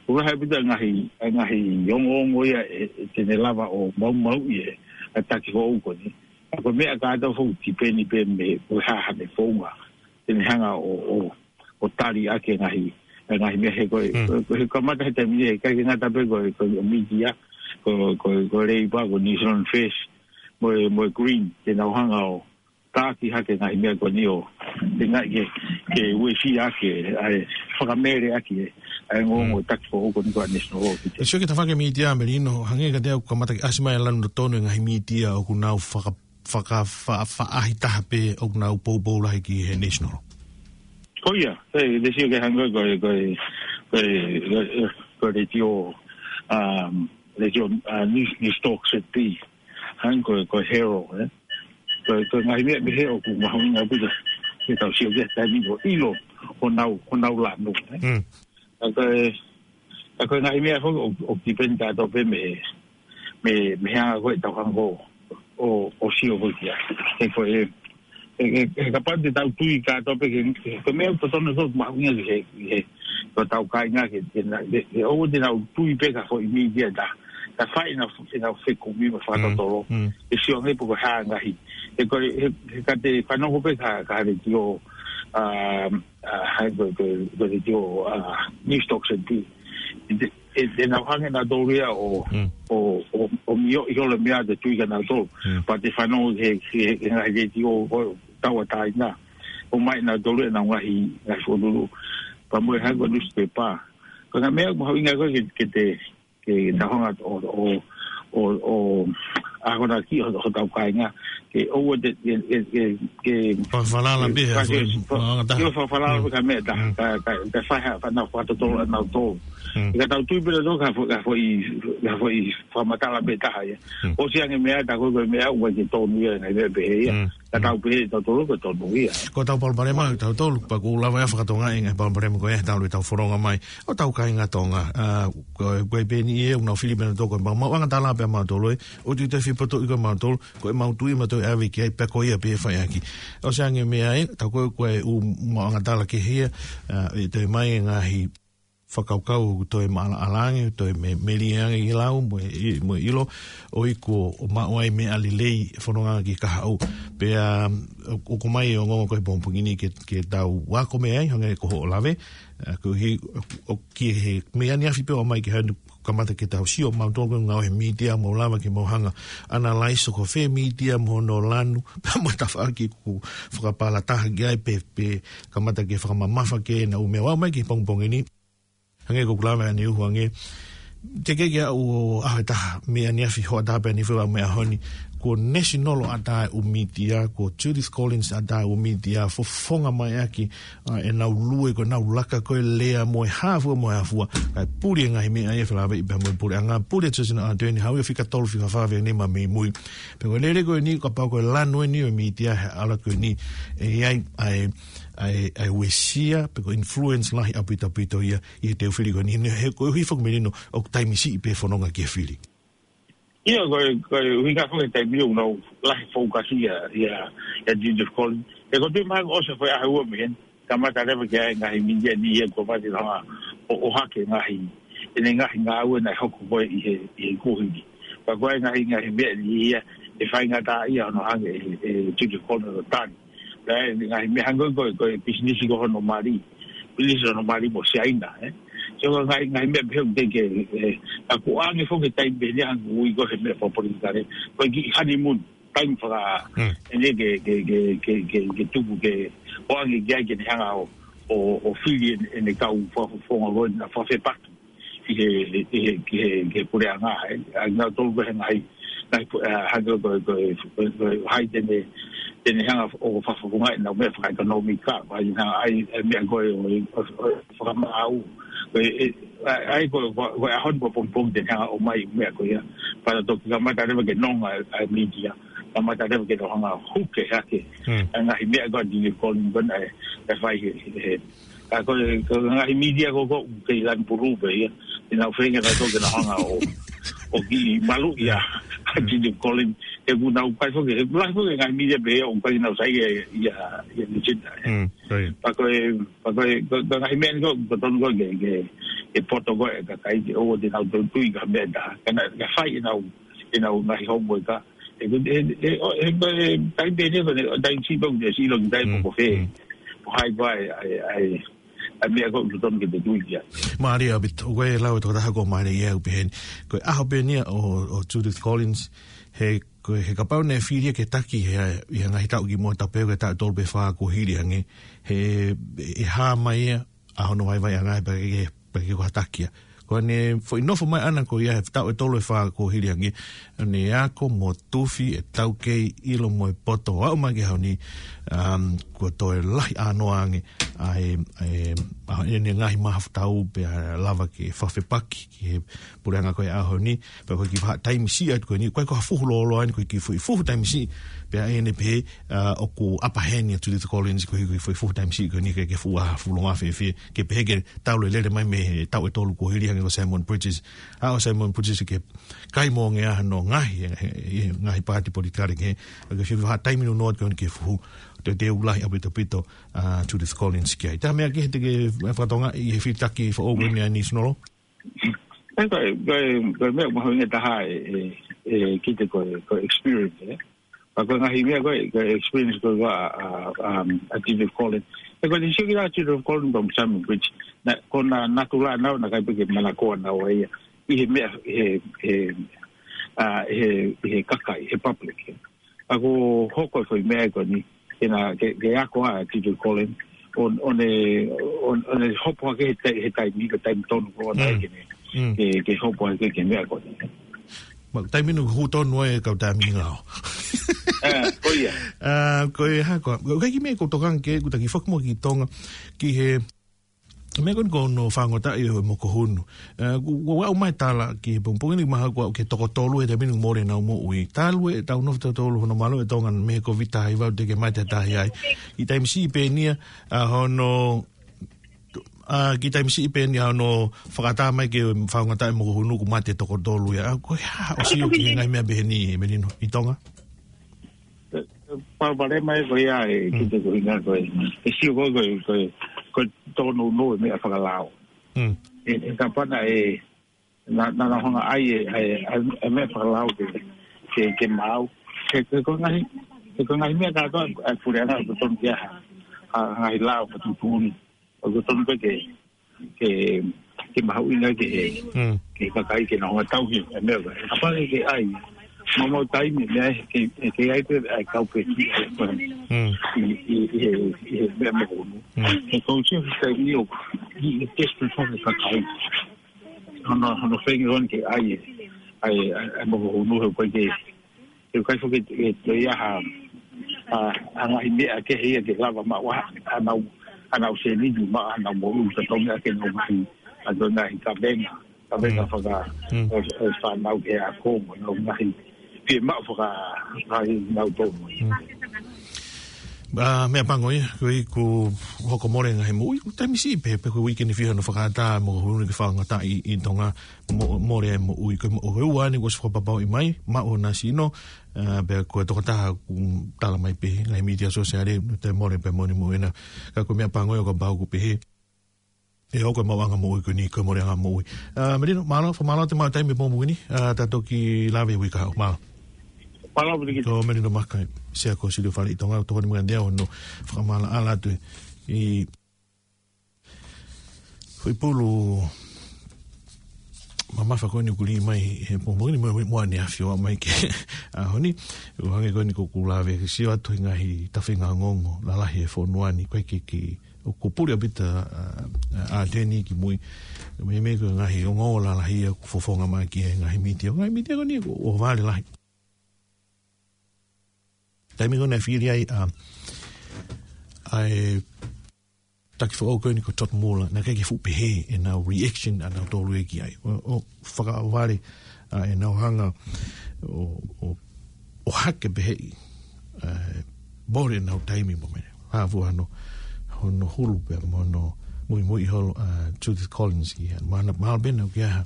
ʻoku lahi ʻaupito ngaahi, ngaahi ongoongo ia ʻe, ʻe te ne lava ʻo maumauʻi ʻe, ʻa e taki foʻou ko eni. Ka ko e meʻa kātoa foki tipeni pē mei he, ko e hā haʻane founga. Te ne hanga ʻo, ʻo, ʻo tali ʻaki e ngaahi, e ngaahi meʻa he ko e, Mm. ko e, ko e kamata he taimi ni, he ʻikai ke ngata pē ko e, ko e media, ko, ko, ko e Labour, ko e New Zealand First, mo e, mo e Green, te nau hanga ʻo taki hake ngaahi meʻa ko eni ʻo, te ngai ke, ke uesia ake, ʻa e fakamele ake, ʻa e ongoongo Mm. taki foʻou ko eni ko ā National Law ki te. Sio ki he tafaʻaki media, Melino, hangē kiate au kamata ke ʻasi mai e lanu totonu e ngaahi media ʻoku nau faka-, faka-, fa-, faʻahi taha pē ʻoku nau poupou lahi ki he National. Ko ia, e, te sio ki he hangē ko e, ko e, ko e, ko e, ko e letiō, um, letiō, uh, News, Newstalk Z B. Hangē ko e, ko e Herald, ē. Ko e, ko e ngaahi meʻa pehē ʻoku mahuʻinga ʻaupito ke tau sio ki ai he taimi ni ʻo ʻilo honau, honau lanu, ē. Mm. ʻA ko e, ʻa ko e ngaahi meʻa foki ʻo, ʻoku tipeni kātoa pē mei, mei, mei he anga ko ē ʻetau hanga ʻo, ʻo, ʻo sio ko ē ki ai. He ko e, he, he, he kapau te tau tui kātoa pē ke, ke, ko e meʻa totonu ko ē mahuʻinga ki he, ki he, ko ʻetau kāinga ke, ke na-, ke, ke ʻoua te nau tui pē ki ha foʻi media ʻe taha. Ka fai ʻenau, ʻenau fekumi mo fakatotolo. Mm, mm. ʻE sio ange pe ko e hā e ngaahi. He ko e, he, he ka te fanongo pē ki ha, ki ha letiō, um, ʻa, hangē ko e, ko e, ko e letiō, ʻa, Newstalk Z B. ʻE, ʻe, ʻe nau hanga ʻe nautolu ia ʻo, Mm. ʻo, ʻo, ʻo mioʻi holo e meʻa te tui kia nautolu. Mm. Pea te fanongo he, he, he ngaahi letiō ʻo tauʻatāina. ʻOmai ʻe nautolu ʻenau ngaahi, ngaahi foʻi lulu. Pea mo e hangē ko e newspaper. Ko e ngaahi meʻa mahuʻinga ko ē ke, ke te, ke tau hanga ʻo, ʻo, ʻo, ʻo akonaki ho, hotau kāinga. Ke ʻoua te, ke, ke, ke, ke Fakafalala ke, pē, ke, ha foʻi ke, maʻuʻanga taha. ke fakafalala Mm. pē ki ha meʻa taha. Mm. Ka, ka, ka fai ha, fai ʻenau fakatotolo ʻanautolu. Mm. Ka tau tui pē nautolu ki ha foʻi, ki ha foʻi, ki ha foʻi fakamatala pē taha ia. Mm. ʻOsi ange e meʻa, tā ko ē ko e meʻa, ʻoku ʻikai ke tonu ia, ngaahi meʻa pehē ia. Mm. Ka tau pehē ʻe tautolu ko e tonu ia. Ko ʻetau palopalema ʻa tautolu, pea ʻoku lava ia ʻo fakatokangaʻi e ngaahi palopalema ko ia he talu ʻetau fononga mai ʻo hotau kāinga Tonga. ʻA, ko, ko e peni ia, ʻoku nau fili pē nautolu ko e maʻu, maʻuʻanga tala pē ʻa mautolu ē, ʻoku ʻikai te u fie potoʻi ko ē mautolu, ko e mautui mautolu ʻe ʻave ki ai, pea ko ia pē ʻe fai ʻaki. ʻOsi ange e meʻa ē, tā ko ē ko e ʻū maʻuʻanga tala kehe ia, ʻa, ʻe toe ʻomai e ngaahi fakakaukau ʻoku toe maʻalaʻala ange, toe me-, melie ange ʻi he lau, mo e, mo e ʻilo, ʻo iku ʻo maʻu ai meʻa lelei, fononga ki kahaʻu. Pea, ʻo, ʻoku mai ʻo ngongoko he pongipongi ni ke, ke tau ako mei ai, hangē ko hoʻo lave, ʻa, koeʻuhi, ʻo, ʻo ki he meʻa ni afi pē ʻo mai ke hanu kamata ke tau sio, mau tō ko ngau he mītia, mau lava ke mau hanga, analyze ʻoku fē mītia mo hono lanu, pea mo tafaʻaki ʻoku fakapalataha ki ai pē, pē kamata ke fakamamafa ke na u meʻa ʻo mai ki he pongipongi ni. Hangē ko ʻeku lave ʻaneuhu ange. Teʻeki ke ʻaʻaku ʻo ʻaho ʻe taha, meʻa ni afi hoʻatā pē ni fua meʻa honi. Ko National ʻa tae ʻū mītia, ko Judith Collins ʻa tae ʻū mītia, fofonga mai ʻaki, ʻa, ʻenau lue ko ʻenau laka ko e lea mo e hā fua mo e hā fua. Kae puli e ngaahi meʻa ia felāveʻi pea mo e puleʻanga, puli e Judith ʻa tae ni hau ia fika tolu fika fā fē ni ma mei mui. Pea ko e lele ko eni, kapau ko e lanu eni ʻo e mītia he ʻaho ko eni, ʻe ʻi ai, ʻa e, ʻa e, ʻa e uesia, pe ko e influence lahi ʻaupito ʻaupito ia, ʻi he teu fili ko eni, he koeʻuhi foki Melino, ʻoku taimi siʻi pē fononga ki he fili. ʻIo, ko e, ko e ʻuhinga foki he taimi ʻoku nau lahi focus ia, ia, ia Judith Collins. He ko e tui mai ʻoku ʻosi foʻi ʻaho ua mei heni, kamata leva ke ʻai ngaahi mītia ni ia ko mati laha ʻo, ʻohake ngaahi, ʻene ngaahi ngāue naʻe hoko ko ē ʻi he, ʻi he kuohili. Pea ko e ngaahi, ngaahi meʻa ni ia, ʻe faingataʻaʻia hono hanga ʻe, ʻe Judith Collins ʻo tali. Pea ʻe ngaahi meʻa hangē ko e, ko e pisinisi ko hono mali. Pisinisi hono mali mo Siaina, ē. So ko e ngaahi, ngaahi meʻa pehē ʻoku ke, ke, ē, ʻa ko ʻange foki taimi pē ni hangē ui ko he meʻa fakapolitikale. Ko e kiʻi honeymoon, taimi faka, Mm. ʻene ke, ke, ke, ke, ke, ke tuku ke, ʻoange ki ai ke ne hanga ʻo, ʻo, ʻo fili ʻene, ʻene kau fakafofonga ko ē naʻa fakafepaki ʻi he, ʻi he, ki he, ki he puleʻanga, ē. ʻA ia naʻa tolu ko e ngaahi, ngaahi pu-, ʻa, hangē ko e, ko e, ko e, ko e, hai te ne, te ne hanga ʻo fakafofongaʻi ʻenau meʻa fakaʻekonōmika, ko hai te ne hanga ʻai, ʻai meʻa ko ē ʻo, ʻo, ʻo fakamaau. Ko e, ʻe, ʻa, ʻai ko e, ko e, ko e ʻaho ni ko e pongipongi te ne hanga ʻo mai meʻa ko ia. Pea toki kamata leva ke nonga ʻa e mītia. Kamata leva ke nau hanga ʻo huke hake. Hmm. ʻA e ngaahi meʻa ko ē ʻa Judith Collins ko ē naʻe, naʻe fai he, he, he, ʻA ko e, ko e ngaahi mītia ko ē ʻoku kei lanu pulu pē ia. ʻE nau feinga nautolu ke nau hanga ʻo, ʻo kiʻi maluʻi ʻa, ʻa Judith Collins. He ʻoku nau kai foki, he ʻoku lahi foki e ngaahi mītia pē ia ʻoku ʻikai ke nau saiʻia ia, ia, ia Lucinda. Mm, right. Pea ko e, pea ko e, ko, ko e ngaahi meʻa ni ko, ko tonu ko ke, ke, ke poto ko e kakai ke ʻoua te nau tui ki ha meʻa ʻe taha. Ka naʻe, naʻe fai ʻenau, ʻenau ngaahi homework ʻa. He ko e, he, he, ʻo, he ko e, taimi pē ni ko ē, taimi siʻi pē ʻoku te sio ki he taimi Mm, ko fē. mm. Ko hai ko ē, ʻa e, ʻa e, ʻa e meʻa ko ē ʻoku totonu ke te tui ki ai. Mālie ʻaupito, ko e lau ʻa e tokotaha ko Mālie ia ʻoku pehē ni. Ko e ʻaho pē ni ia ʻo, ʻo Judith Collins, he, ko e, he kapau naʻe fili ia ke taki he, ʻi he ngaahi taʻu kimuʻa tapu pē ko e taʻu ʻe tolu pe fā kuo hili ange, he, ʻe hā mai ia, ʻa hono vaivaiʻanga pea ke, pea ke ko ha taki ia. Ko ʻene foʻi nofo mai ʻana ko ia he taʻu ʻe tolu ʻe fā kuo hili ange, ʻene ako mo tufi ʻe taukei ʻilo mo e poto ʻo aʻu mai ki he ʻaho ni, um, kuo toe lahi ʻānoa ange ʻa e, ʻa e, ʻa ʻene ngaahi mahafu tau pea lava ke fakafepaki ki he puleʻanga ko e ʻaho ni, pea ko e kiʻi vahaʻa taimi siʻi atu ko eni, ko e ko ha fuhu lōloa eni, ko e kiʻi fuʻu, fuhu taimi siʻi, pea ʻene pehē, ʻa, ʻoku ʻapa heni ʻa Judith Collins, ko e kiʻi fuʻu, fuhu taimi siʻi ko eni, ke, ke fuʻu ʻaho fuʻu longo fēfē, ke pehē ke tau lelele mai mei he taʻu ʻe tolu kuo hili ange ko Simon Bridges. ʻA ʻo Simon Bridges ke kai mo nge aha no ngaahi, he, he, he ngaahi paati politikale ke, ke fiu ha taimi no noa ko eni ke fuhu, te te ulahi ʻaupito ʻaupito, ʻa, Judith Collins ki ai. Tā meʻa ke he te ke fakatonga ʻi he fitaki fo o wene ani Sinolo? ʻE, ko e, ko e, ko e meʻa mahuʻinga taha ʻe, ʻe, ʻe kite ko e, ko e experience, ē. Pea ko e ngaahi meʻa ko e, ko e experience ko e ʻa, ʻa, um, ʻa Judith Collins. ʻE ko e te sio ki ai ʻa Judith Collins pea mo Simon Bridges. Naʻa, ko ʻena natula ʻenau, naʻe ʻikai pē ke manakoa naua ia. ʻI he meʻa, he, he, ʻa, he, he kakai, he public, ē. ʻA ko hoko e foʻi meʻa ko eni, ke na, ke, ke ako ʻa Judith Collins, ʻo, ʻo ne, ʻo, ʻo ne hopo hake he tai-, he taimi, ko e taimi tonu ko ē ʻoku na Mm. ke ne, Mm. ke, ke hopo hake ki he meʻa ko eni. Ma, taimi no hū tonu e kau taimi ngao. ʻE, ko ia. ʻA, ko e hā ko, ko e kiʻi meʻa ʻoku ou tokanga ki ai, ʻoku taki foki mo ki Tonga, ki he, meʻa ko eni ko hono fāngotaʻi ʻo e mokohunu. ʻE, ʻoku, ʻoku ou ʻomai tala ki he pongipongi ni mahalo ʻoku ke toko tolu he taimi ni mole ʻenau moʻui. Talu ʻetau nofo toko tolu hono malu ʻe Tonga mei he Kōviti taha hiva ʻo teʻeki ke mate ha taha ai. Kiʻi taimi siʻi pē eni ia, ʻa hono, ʻa, kiʻi taimi siʻi pē eni ia hono fakaʻatā mai ke fāngotaʻi mokohunu ʻoku mate toko tolu ia. ʻA, ko e hā, ʻosi ʻoku ke ngaahi meʻa pehē ni, Melino, ʻi Tonga? Palopalema ē ko ia ʻe Mm. kite ko e ʻuhinga ko e, ʻe sio ko e, ko e, ko e, ko e tōnounou e meʻa fakalao. Mm. ʻe, ʻe kapau naʻe, naʻa, naʻa nau hanga ʻai e, e, e, e meʻa fakalau ke, ke, ke maau. He, he ko e ngaahi, he ko e ngaahi meʻa kātoa ʻa e puleʻanga ʻoku totonu ke ʻi ai ha, ha ngaahi lao fakatuʻutuʻuni. ʻOku totonu pē ke, ke, ke mahuʻinga ke he, Mm. ke he kakai ke nau hanga tauhi e meʻa ko ē. Kapau ke ʻai, maumau taimi meʻa ke, ke ʻai pē ʻa e kau pē ki he, Mm. ʻi, ʻi, ʻi he, ʻi he meʻa mokohunu. Mm. He kou sio he taimi ʻoku, ʻi, ʻi desperate hake kakai. Hono, hono feinga ʻoku ke ʻai, ʻai, ʻai, ʻai mokohunu he ʻoku ʻikai ke, he ʻoku ʻikai foki ke, ke ʻi ai ha, ha, ha ngaahi meʻa kehe ia ke lava maʻu ai haʻanau, haʻanau sēniti mo haʻanau moʻui, ka tau meʻa ke nau ngaahi, ʻa tau ngaahi kavenga, kavenga Mm. faka, Mm. ʻo, ʻo fānau ke ako mo nau ngaahi, pē maʻu faka, ngaahi nau tau. Mm. ʻA, meʻapango ia, ko ia ʻoku hoko mole ngaahi moʻui, ʻoku taimi siʻi pē, pe ko e uike ni fiha hono fakaʻatā, mokohunu ke faingataʻa ʻi, ʻi Tonga, mo, mole e moʻui, ko e mo, ko e ua eni kuo ʻosi fakapapauʻi mai, maʻu honau sino, ʻa, pea ko e tokotaha ʻoku tala mai pē, ngaahi mītia sōsiale, ʻoku toe mole pē moʻoni moʻui ena, ka ko e meʻapango ia ʻoku pau ʻoku pehē, ʻe hoko e maʻuʻanga moʻui ko eni, ko e moleʻanga moʻui. ʻA, Melino, mālō, fakamālō atu e maʻu taimi he pongipongi ni, ʻa, tau toki lave ʻi he uike kahaʻu. Mālō. Mālō, Melino. Ko Melino Maka, Sea ko e Silio Fale ʻi Tonga, tokoni mai ʻa hono fakamaʻalaʻala atu ʻi he foʻi pulu mamafa ko eni ʻoku lī mai he pongipongi ni mo, mo ʻaneafi ʻo aʻu mai ki he ʻaho ni. ʻO hangē ko eni ko ʻeku lave ke sio atu he ngaahi tafaʻaki ongoongo lalahi he fonua ni, ko e ke, ke, ʻoku puli ʻaupito, ʻa, ʻa, ʻa Teni ki mui. Meimei ko e ngaahi ongoongo lalahi ia ʻoku fofonga mai ki he ngaahi mītia. Ngaahi mītia ko eni ʻoku, ʻoku vale lahi. Taimi ko ē naʻe fili ai, ʻa, ʻa e taki foʻou ko eni ko Todd Muller, naʻe ʻikai ke fuʻu pehē ʻenau reaction ʻanautolu ia ki ai. ʻO, ʻo fakavale, ʻa, ʻenau hanga ʻo, ʻo, ʻo hake pehē ʻi, ʻa, mole ʻenau taimi mo e meʻa. Hā fua hono, hono hulu pea mo hono muimui holo, ʻa, Judith Collins ki ai. Mahalo, mahalo pē naʻa ʻoku ʻi ai ha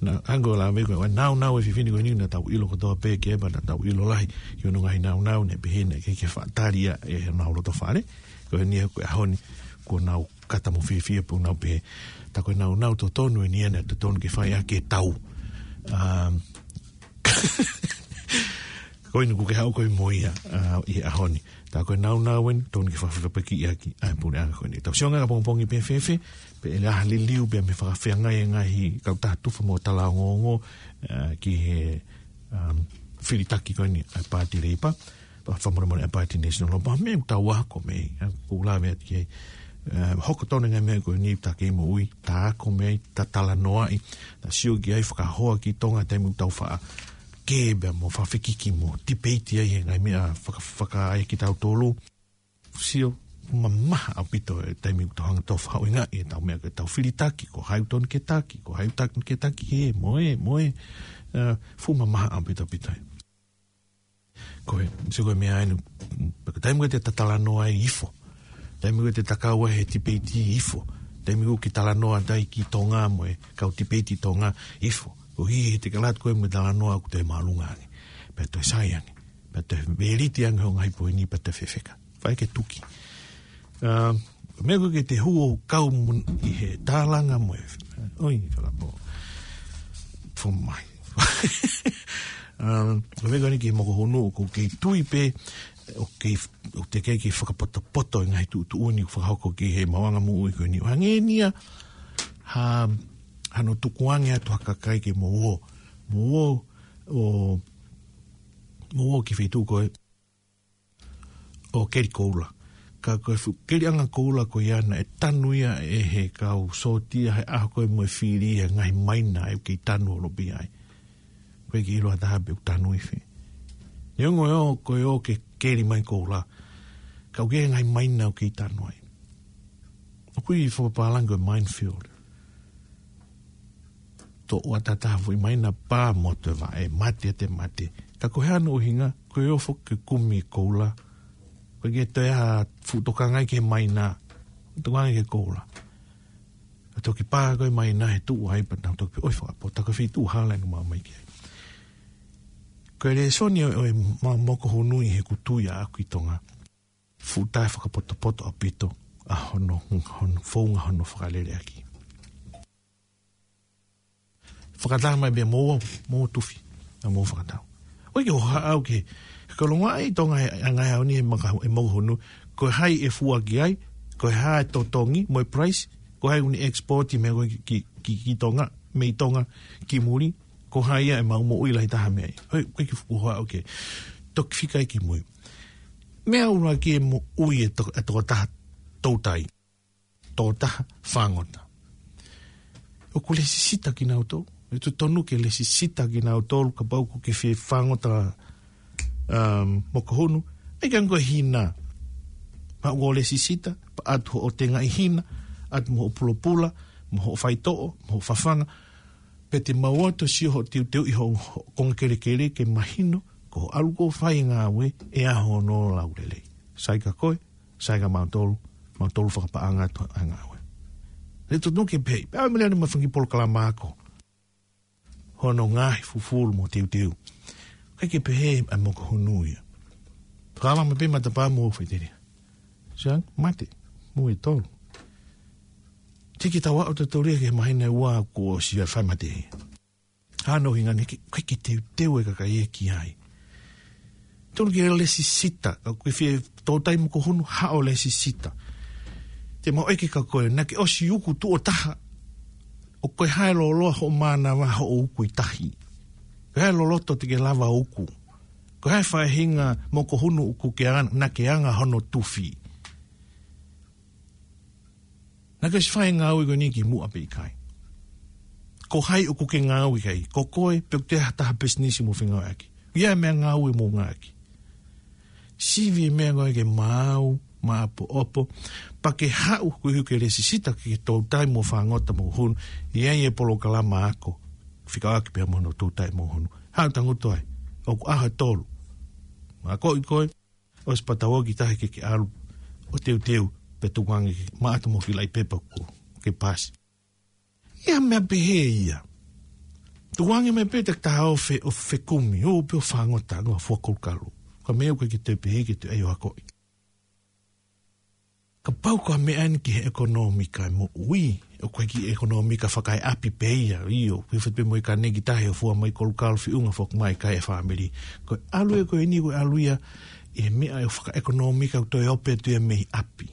Naʻa, hangē ko e lave ko ē, ʻa e naunau e fefine ko eni naʻa tau ʻilo kotoa pē ki ai, pea naʻa tau ʻilo lahi ki hono ngaahi naunau, naʻe pehē naʻe ʻikai ke faʻa tali ia ʻe honau loto fale. Ko eni ko e ʻaho ni, kuo nau kata mo fiefia pea nau pehē, tā ko e naunau totonu eni ia naʻe totonu ke fai ʻaki e tau. Um, ko eni kuo ke haʻu koe mo ia, ʻa, ʻi he ʻaho ni. Tā ko e naunau eni, totonu ke fakafaifekau ʻaki ʻa e puleʻanga ko eni. Tau sio ange ki he pongipongi pē fēfē, pe ʻe ʻi ai ha liliu pē mei he fakafeangai e ngaahi kautaha tufa mo tala ongoongo, ʻa, ki he, um, filitaki ko eni ʻa e Paati Leipa, pea fakamolemole ʻa e Paati National, pea meʻa ʻoku tau ako mei ai, ʻa, ʻoku lave atu ki ai. ʻA, hoko tonu e ngaahi meʻa ko eni tā kei moʻui, tā ako mei ai, tā talanoaʻi, tā sio ki ai, fakahoa ki Tonga taimi ʻoku tau faʻa kē pea mo fakafekiki mo tipeiti ai he ngaahi meʻa faka-, fakaʻai kitautolu. Sio, mamaha ʻaupito e taimi ʻoku tau hanga ʻo faʻahinga ʻetau meʻa ke tau filitaki, ko hai ʻoku totonu ke taki, ko hai ʻoku totonu ke taki ē, mo ē, mo ē, ʻa, fuʻu mamaha ʻaupito, ʻaupito ai. Ko e, sio ko e meʻa eni, pea ko e taimi ko ē te ta talanoa ai ʻi fo. Taimi ko ē te ta kau ai he tipeiti ʻi fo. Taimi ko ē ke talanoa atu ai ki Tonga mo e kau tipeiti Tonga ʻi fo. Ko e hā e te ke lava atu koe mo e talanoa ʻoku toe māʻolunga ange. Pea toe sai ange. Pea toe veliti ange hoʻo ngaahi poini pea toe fefeka. Fai ke tuki. Um, meʻa ko ē ke te hū ʻo kau mo ia ʻi he tālanga mo e. ʻOi, falapo. Fomai. Um, ko e meʻa ko eni ki he mokohunu, ʻoku kei tui pē, ʻoku kei, ʻoku teʻeki ke fakapotopoto e ngaahi tuʻutuʻuni ʻoku fakahoko ki he maʻuʻanga moʻui ko eni. ʻO hangē ni ia ha, hano tukuange atu ha kakai ke mou ō. Mou ō, ʻo, mou ō ki he feituʻu ko ē ʻo keli koula. Ka ko e fuʻu keliʻanga koula ko ia naʻe tanu ia ʻe he kau sōtia he ʻaho ko ē mo e fili he ngaahi maina ʻoku kei tanu holo pē ai. ʻOku ʻikai ke ʻilo ha taha pe ʻoku tanu ʻi fē. Neongo ʻe ō, ko e ō ke keli mai koula. Ka ʻoku ʻi ai e ngaahi maina ʻoku kei tanu ai. ʻOku ui fakapālangi ko e minefield. Toʻo ʻa e taha foʻi maina pea mo toe vaʻe, mate ʻa e mate. Ka ko e hā hono ʻuhinga, ko e ō foki ke kumi koula. ʻOku ʻikai ke toe ʻi ai ha fuʻu tokanga ia ki he maina, tokanga ia ki he koula. Ka toki pā ko ē maina he tuʻu ai pea nau toki pehē, ʻoi fakapotopoto, ko e feituʻu hala ʻeni ʻoku mau ō mai ki ai. Ko e lēsoni ʻo, ʻo e ma-, mokohunu ʻi heʻeku tui ʻaʻaku ʻi Tonga. Fuʻu taʻefakapotopoto ʻaupito ʻa hono, hono founga hono fakalele ʻaki. fakataha mai pē mo, mo tufi, ʻa mo fakataha. ʻOku ʻikai ke hohaʻa au ki he, ko e longoaʻa ʻi Tonga he, ʻa e ngaahi ʻaho ni he maka, he mokohunu, ko e hā e fua ki ai, ko e hā e totongi, mo e price, ko e hā e ʻoku ne export mei ai ko ē ki, ki, ki, ki Tonga, mei Tonga, ki muli, ko e hā ia ʻemau moʻui lahi taha mei ai. ʻOku ʻikai ke fuʻu hohaʻa au ki he toki fika ia ki mui. Meʻa ʻuluaki e moʻui e to-, e tokotaha toutai. Tokotaha fāngota. ʻOku lesisita kinautolu. ʻE totonu ke lesisita kinautolu kapau ʻoku ke fie fāngota, um, mokohunu. ʻIkai ke ngata ko e hina. Pea ʻoku lesisita, pea ʻatu hoʻo tengaʻi hina, ʻatu mo hoʻo pulopula, mo hoʻo faitoʻo, mo hoʻo fafanga. Pea te mau ō atu ʻo sio hoʻo teuteu ʻi hoʻo, hoʻo konga kelekele ke mahino, ko hoʻo ʻalu ʻo fai e ngāue, ʻe ʻi ai hono laulelei. Sai kia koe, sai kia mautolu, mautolu fakapaʻanga atu ʻa e ngāue. ʻE totonu ke pehē, pea mele ane ma fangi polokalama ako. Hono ngaahi fufulu mo teuteu. ʻIkai ke pehē ʻa e mokohunu ia. Fakaava mai pē matapā mo faʻiteliha. Siang, mate, mo e tolu. Tiki taua ʻo te tolia ke mahina ua kuo ʻosi ʻa e fai mate. Hano hinga ni ke, ʻikai ke teuteu e kakai ia ki ai. Tonu ke lesisita, ʻoku ke fie toutai mokohunu haʻo lesisita. Te mau ʻeke kia koe, naʻa ke ʻosi uku tuʻo taha, ʻoku ʻi ai e loloa hoʻo mānava hoʻo uku ʻi tahi. Ko e hā e loloto te ke lava uku. Ko e hā e faʻahinga mokohunu ʻoku ke anga, naʻa ke anga hono tufi. Naʻa ke ʻosi fai e ngāue ko eni kimuʻa pe ʻikai. Ko hai ʻoku ke ngāue ki ai, ko koe, pe ʻoku ʻi ai ha taha pisinisi mo fengāueʻaki. ʻI ai e meʻangāue mo ngāueʻaki. Sivi e meʻa ko ē ke maau, maʻopoʻopo, pea ke haʻu koeʻuhi ke lesisita ke toutai mo fāngota mokohunu, ʻi ai e polokalama ako, fekauʻaki pea mo hono toutai mokohunu. Haʻu tangutu ai, ʻoku ʻaho ʻe tolu. Mo akoʻi koe, ʻosi pea tau ō ki tahi ke ke ʻalu ʻo teuteu, pea tukuange ke maʻata mo e kiʻi laʻi pepa kuo ke pasi. ʻI ai ha meʻa pehē ia. Tukuange mai pē te ke taha ʻo fe-, ʻo fekumi, ō pē ʻo fāngota, ngā fua kolukalu. Ka meʻa ʻoku ʻikai ke toe pehē ke toe ʻai ʻo akoʻi. Kapau ko e meʻa eni ki he ʻekonōmika e moʻui, ʻoku ʻikai ke ʻekonōmika fakaeʻapi pē ia, ʻio, ʻoku ʻi fē pē mo e kane ki tahi ʻo fua mai kolukalu feʻunga foki mai ki he fāmili. Ko e ʻalu ia ko eni, ko e ʻalu ia ʻi he meʻa ʻe fakaʻekonōmika ʻoku toe ope atu ia mei ʻapi.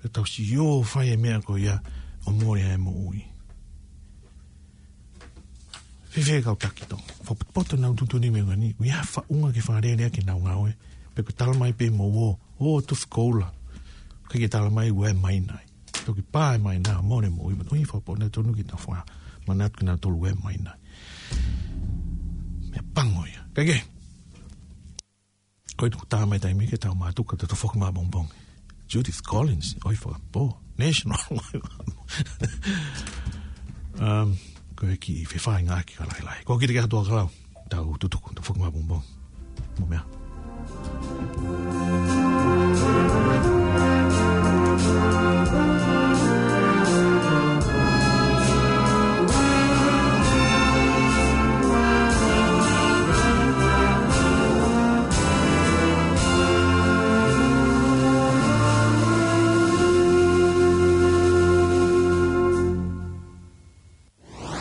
Pea tau sio fai e meʻa ko ia ʻo mole ai e moʻui. Fēfē kau taki Tonga. Fakapotopoto ʻenau tuʻutuʻuni mei heni. ʻOku ʻi ai ha faʻunga ke fakalele ʻaki ʻenau ngāue. Pe ko e tala mai pē mo ō, ō tufi koula. ʻIkai ke tala mai ʻoku ʻi ai e maina ai. Toki pā e maina, mole moʻui. Mo ʻi fakapotopoto ʻenau tonu ke tau fakamanatu kinautolu ʻoku ʻi ai e maina ai. Meʻa pango ia. Kae kehe. Ko e tuku tā mai taimi ke tau mātuku ka tau foki māpongipongi. Judith Collins, ʻoi fakapō. National. Um, ko e kiʻi fefaʻuhi ngāueʻaki ka lahilahi. Ko e kiʻi ke atu ʻa kalau. Tau tutuku, tau foki māpongipongi. Mo meʻa.